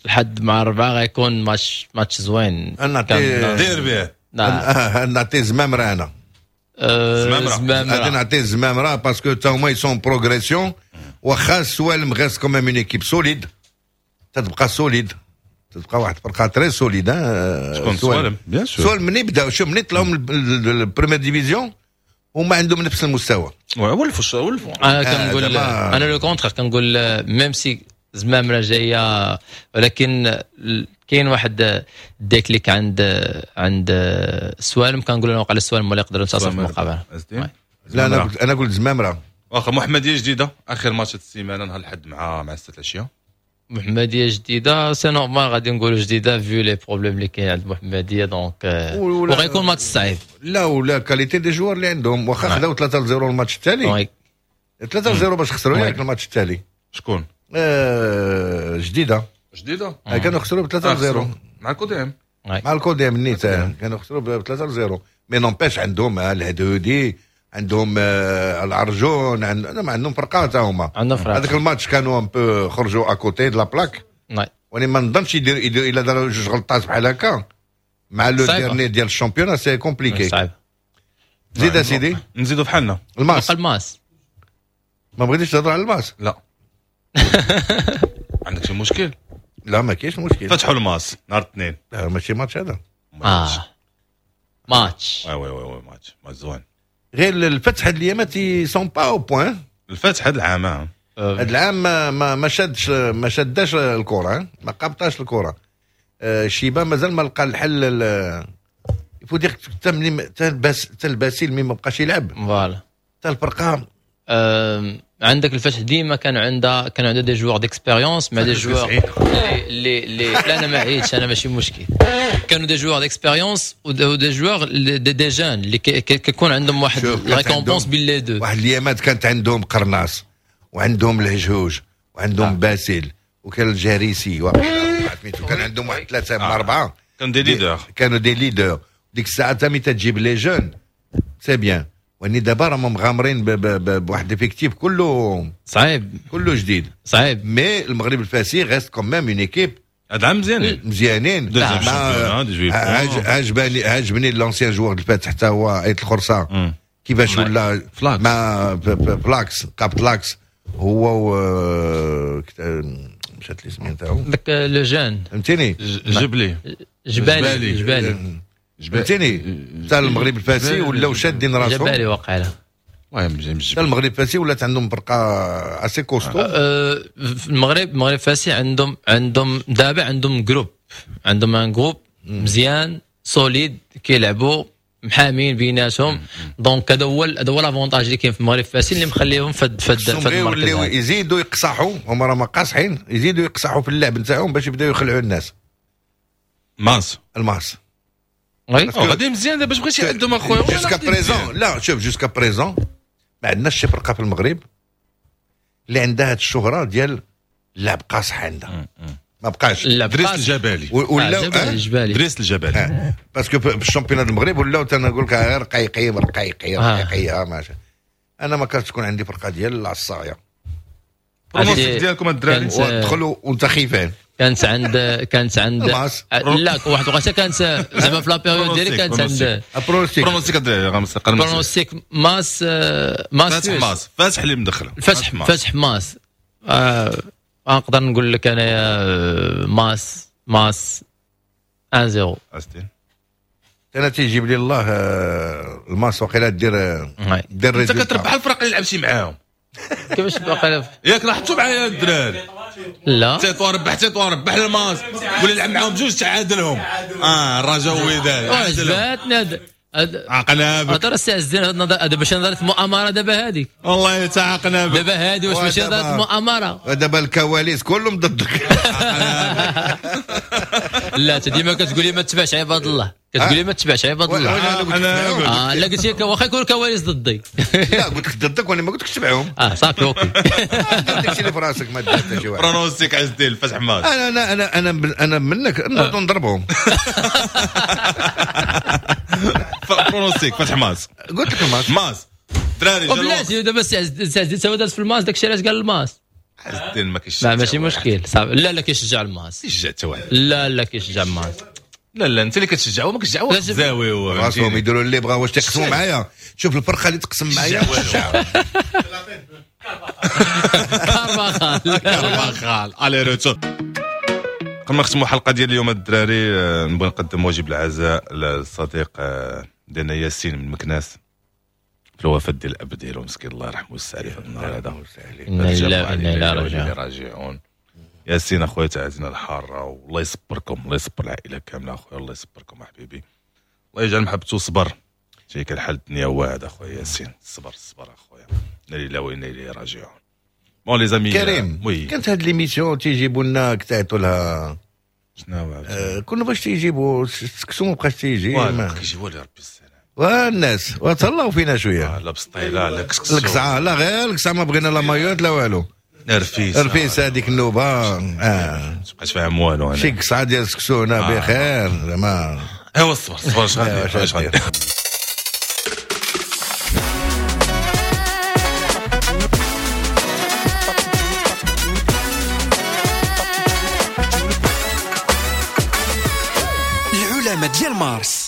لحد مع الربعة غيكون match match زوين. نعطي دير به. نعم، نعطي زمامرة انا. زمامرة. غادي نعطي زمامرة parce que تا هما ils sont en progression، واخا السوالم reste quand même une équipe solide، تتبقى solide، تبقى واحد الفرقة très solide. شكون؟ سوالم، bien sûr. سوالم مني بداو، شوف، مني طلعوا من ال première division هما عندهم نفس المستوى. ولفوا ولفوا. انا كنقول انا le contraire، كنقول même si زمامرة جايه، ولكن كاين واحد déclic عند عند سوالم. كنقول انا وقع السوالم ولا يقدروا ينتصروا في المقابله. لا، انا قلت انا قلت زمامره. واخا. محمديه جديده، اخر ماتش السيمانة نهار الحد مع مع ستة العشيه. محمديه جديده، c'est normal غادي نقولوا جديدة vu les problèmes اللي كاين عند المحمديه، donc وغيكون ماتش صعيب. لا، ولا qualité des joueurs اللي عندهم، واخا خداو ثلاثة صفر الماتش التالي، ثلاثة صفر باش خسروا ياك الماتش التالي. شكون؟ آه، جديده. جديده. آه، كانوا خسروا ب ثلاثة صفر. مع الكوديم. مع الكوديم نيت كانوا خسروا ب ثلاثة صفر، mais n'empêche عندهم الهدودي، عندهم آه، العرجون، عندهم عندهم فرقه تا هما. عندهم فرقه. هذاك الماتش كانوا un peu خرجوا à côté de la plaque، ولكن ما نظنش يدير يدير الا داروا جوج غلطات بحال هكا مع le dernier ديال ال championnat، c'est compliqué. صعيب. زيد اسيدي. نزيدوا بحالنا. الماس. الماس. ما بغيتيش تهضر على الماس؟ لا، عندك شي مشكل؟ لا، ما كاينش مشكل. فتحوا الماس نهار الاثنين. لا، ماشي ماتش هذا. اه، ماتش. oui oui oui، match match زوين. غير الفتح هاد الايامات sont pas au point. الفتح هاد العام. هاد العام ما ما, ما شادش ما شداش الكره، ما قابطاش الكره. آه، شيبا مازال ما لقى الحل. il faut dire حتى ملي حتى الباسيل ملي ما بقاش يلعب voilà حتى الفرقة عندك الفتح ديما كان عندها كان عندها des joueurs d'expérience مع des joueurs اللي اللي لا انا ما عييتش، انا ماشي مشكل. كانوا des joueurs d'expérience و des joueurs des, des jeunes اللي كيكون عندهم واحد récompense بين les deux. واحد الايامات كانت عندهم قرناص وعندهم الهجهوج وعندهم آه. باسل وكان الجريسي وكان عندهم واحد ثلاثة من اربعة، كانوا des leaders، كانوا des leaders ديك الساعة. تا ملي تجيب les jeunes c'est bien، واني دابا راهم مغامرين بواحد effectif كله صعيب، كله جديد صعيب. mais المغرب الفاسي reste quand même une équipe هذا عام مزيانين مزيانين. عجبني عجبني l'ancien joueur الفاتح حتى هو ايت الخرصه كيفاش ولا مع ف l'axe كابت l'axe هو و مشات لي سميتو تاعو داك le jeune، فهمتيني، جبلي جبالي جبالي فهمتيني. حتى المغرب الفاسي ولاو شادين راسهم، جبالي واقع له. المهم حتى المغرب الفاسي ولات عندهم فرقه assez costaud. في المغرب المغرب الفاسي عندهم عندهم دابا عندهم groupe، عندهم un groupe مزيان solide، كيلعبوا محامين بيناتهم. donc هذا هو هذا هو l'avantage اللي كاين في المغرب الفاسي اللي مخليهم فد فد فد المركز. يزيدوا يقصحوا، هما راه قاصحين، يزيدوا يقصحوا في اللعب نتاعهم باش يبداو يخلعوا الناس. ماس الماس oui غادي مزيان دابا، باش بغيتي عندهم اخويا jusqu'à présent. لا شوف jusqu'à présent ما عندناش شي فرقه في المغرب اللي عندها هاد الشهرة ديال اللعب قاصح عندها، ما بقاش. دريس الجبالي ولا الجبالي، دريس الجبالي parce que في ال championnat المغرب ولاو تنقول لك غير رقيقي رقيقي رقيقي. ماشي انا ما كانت تكون عندي فرقه ديال العصاية. pronostic ديالكم الدراري ودخلوا وانت خيفان. كانت عند كانت عند لا واحد الوقيته كانت زعما في la période ديالي كانت عند pronostic pronostic الدراري pronostic ماس ماس فاتح ماس فاتح اللي مدخله فتح فتح ماس. نقدر نقول لك انايا ماس ماس واحد صفر. استين انا تيجيب لي الله الماس وقيله دير دير انت كتربح الفرق اللي لعبتي معاهم. كيفاش باقي ياك لاحظتوا معايا الدراري؟ لا تيطوان ربح، تيطوان ربح الماس ولا لعب معاهم بجوج تعادلهم. اه الرجاء وداد عجبتني عقنا بك. هضر السي عز الدين، هذا باش نظرت مؤامرة دابا هذيك. والله تعاقنا بك دابا هذه، واش ماشي نظرت مؤامرة؟ دابا الكواليس كلهم ضدك. لا انت ديما كتقول لي ما تبعش عباد الله، كتقول لي ما تبعش عباد الله. اه لا قلت لك واخا يكون الكواليس ضدي. لا قلت لك ضدك وانا ما قلتلكش تبعهم. اه صافي OK. داكشي اللي في راسك ما دير حتى شي واحد. pronostic عز الدين الفتح ماس. انا انا انا انا انا منك نوض نضربهم. pronostic فتح ماس. قلت لك الماس ماس دراري. وبلاتي دابا السي عز الدين هو داز في الماس، داكشي علاش قال الماس. عز الدين ما كيشجع. لا ماشي مشكل صافي. لا لا كيشجع الماس. كيشجع حتى واحد. لا لا كيشجع الماس. لا لا انت اللي كتشجع وما كتشجع واحد زاوي راسهم يديروا اللي بغاو. واش تقسموا معايا؟ شوف الفرقة اللي تقسم معايا كارفاخال كارفاخال aller-retour. قبل ما نختموا الحلقة ديال اليوم الدراري، نبغي نقدم واجب العزاء للصديق ديالنا ياسين من مكناس في الوفاة ديال الاب ديالو مسكين، الله يرحمه ويوسع عليه في النهار هذا. انا لله وانا اليه راجعون. ياسين اخويا تعزينا الحارة، والله يصبركم، الله يصبر العائلة كاملة اخويا، الله يصبركم حبيبي، الله يجعل محبته صبر. شي كان حال الدنيا واعد اخويا ياسين، الصبر الصبر اخويا، انا لله وانا اليه راجعون. bon les amis كريم oui. كانت هاد l'émission تيجيبوا لنا كتعيطوا لها شنو هو؟ آه كنا باش تيجيبوا سكسو ما بقاش تيجي، ما كيجيبوا لي ربي السلام والناس وتهلاو فينا شوية. لا بسطيله لا كسكسو الكسعه، لا غير الكسعه ما بغينا لا مايوت لا والو. رفيسه رفيسه هذيك النوبة اه ما تبقاش فاهم والو. شي كسعه ديال سكسو هنا آه. بخير زعما. ايوا الصبر الصبر اش غادي اش غادي. العلماء ديال مارس.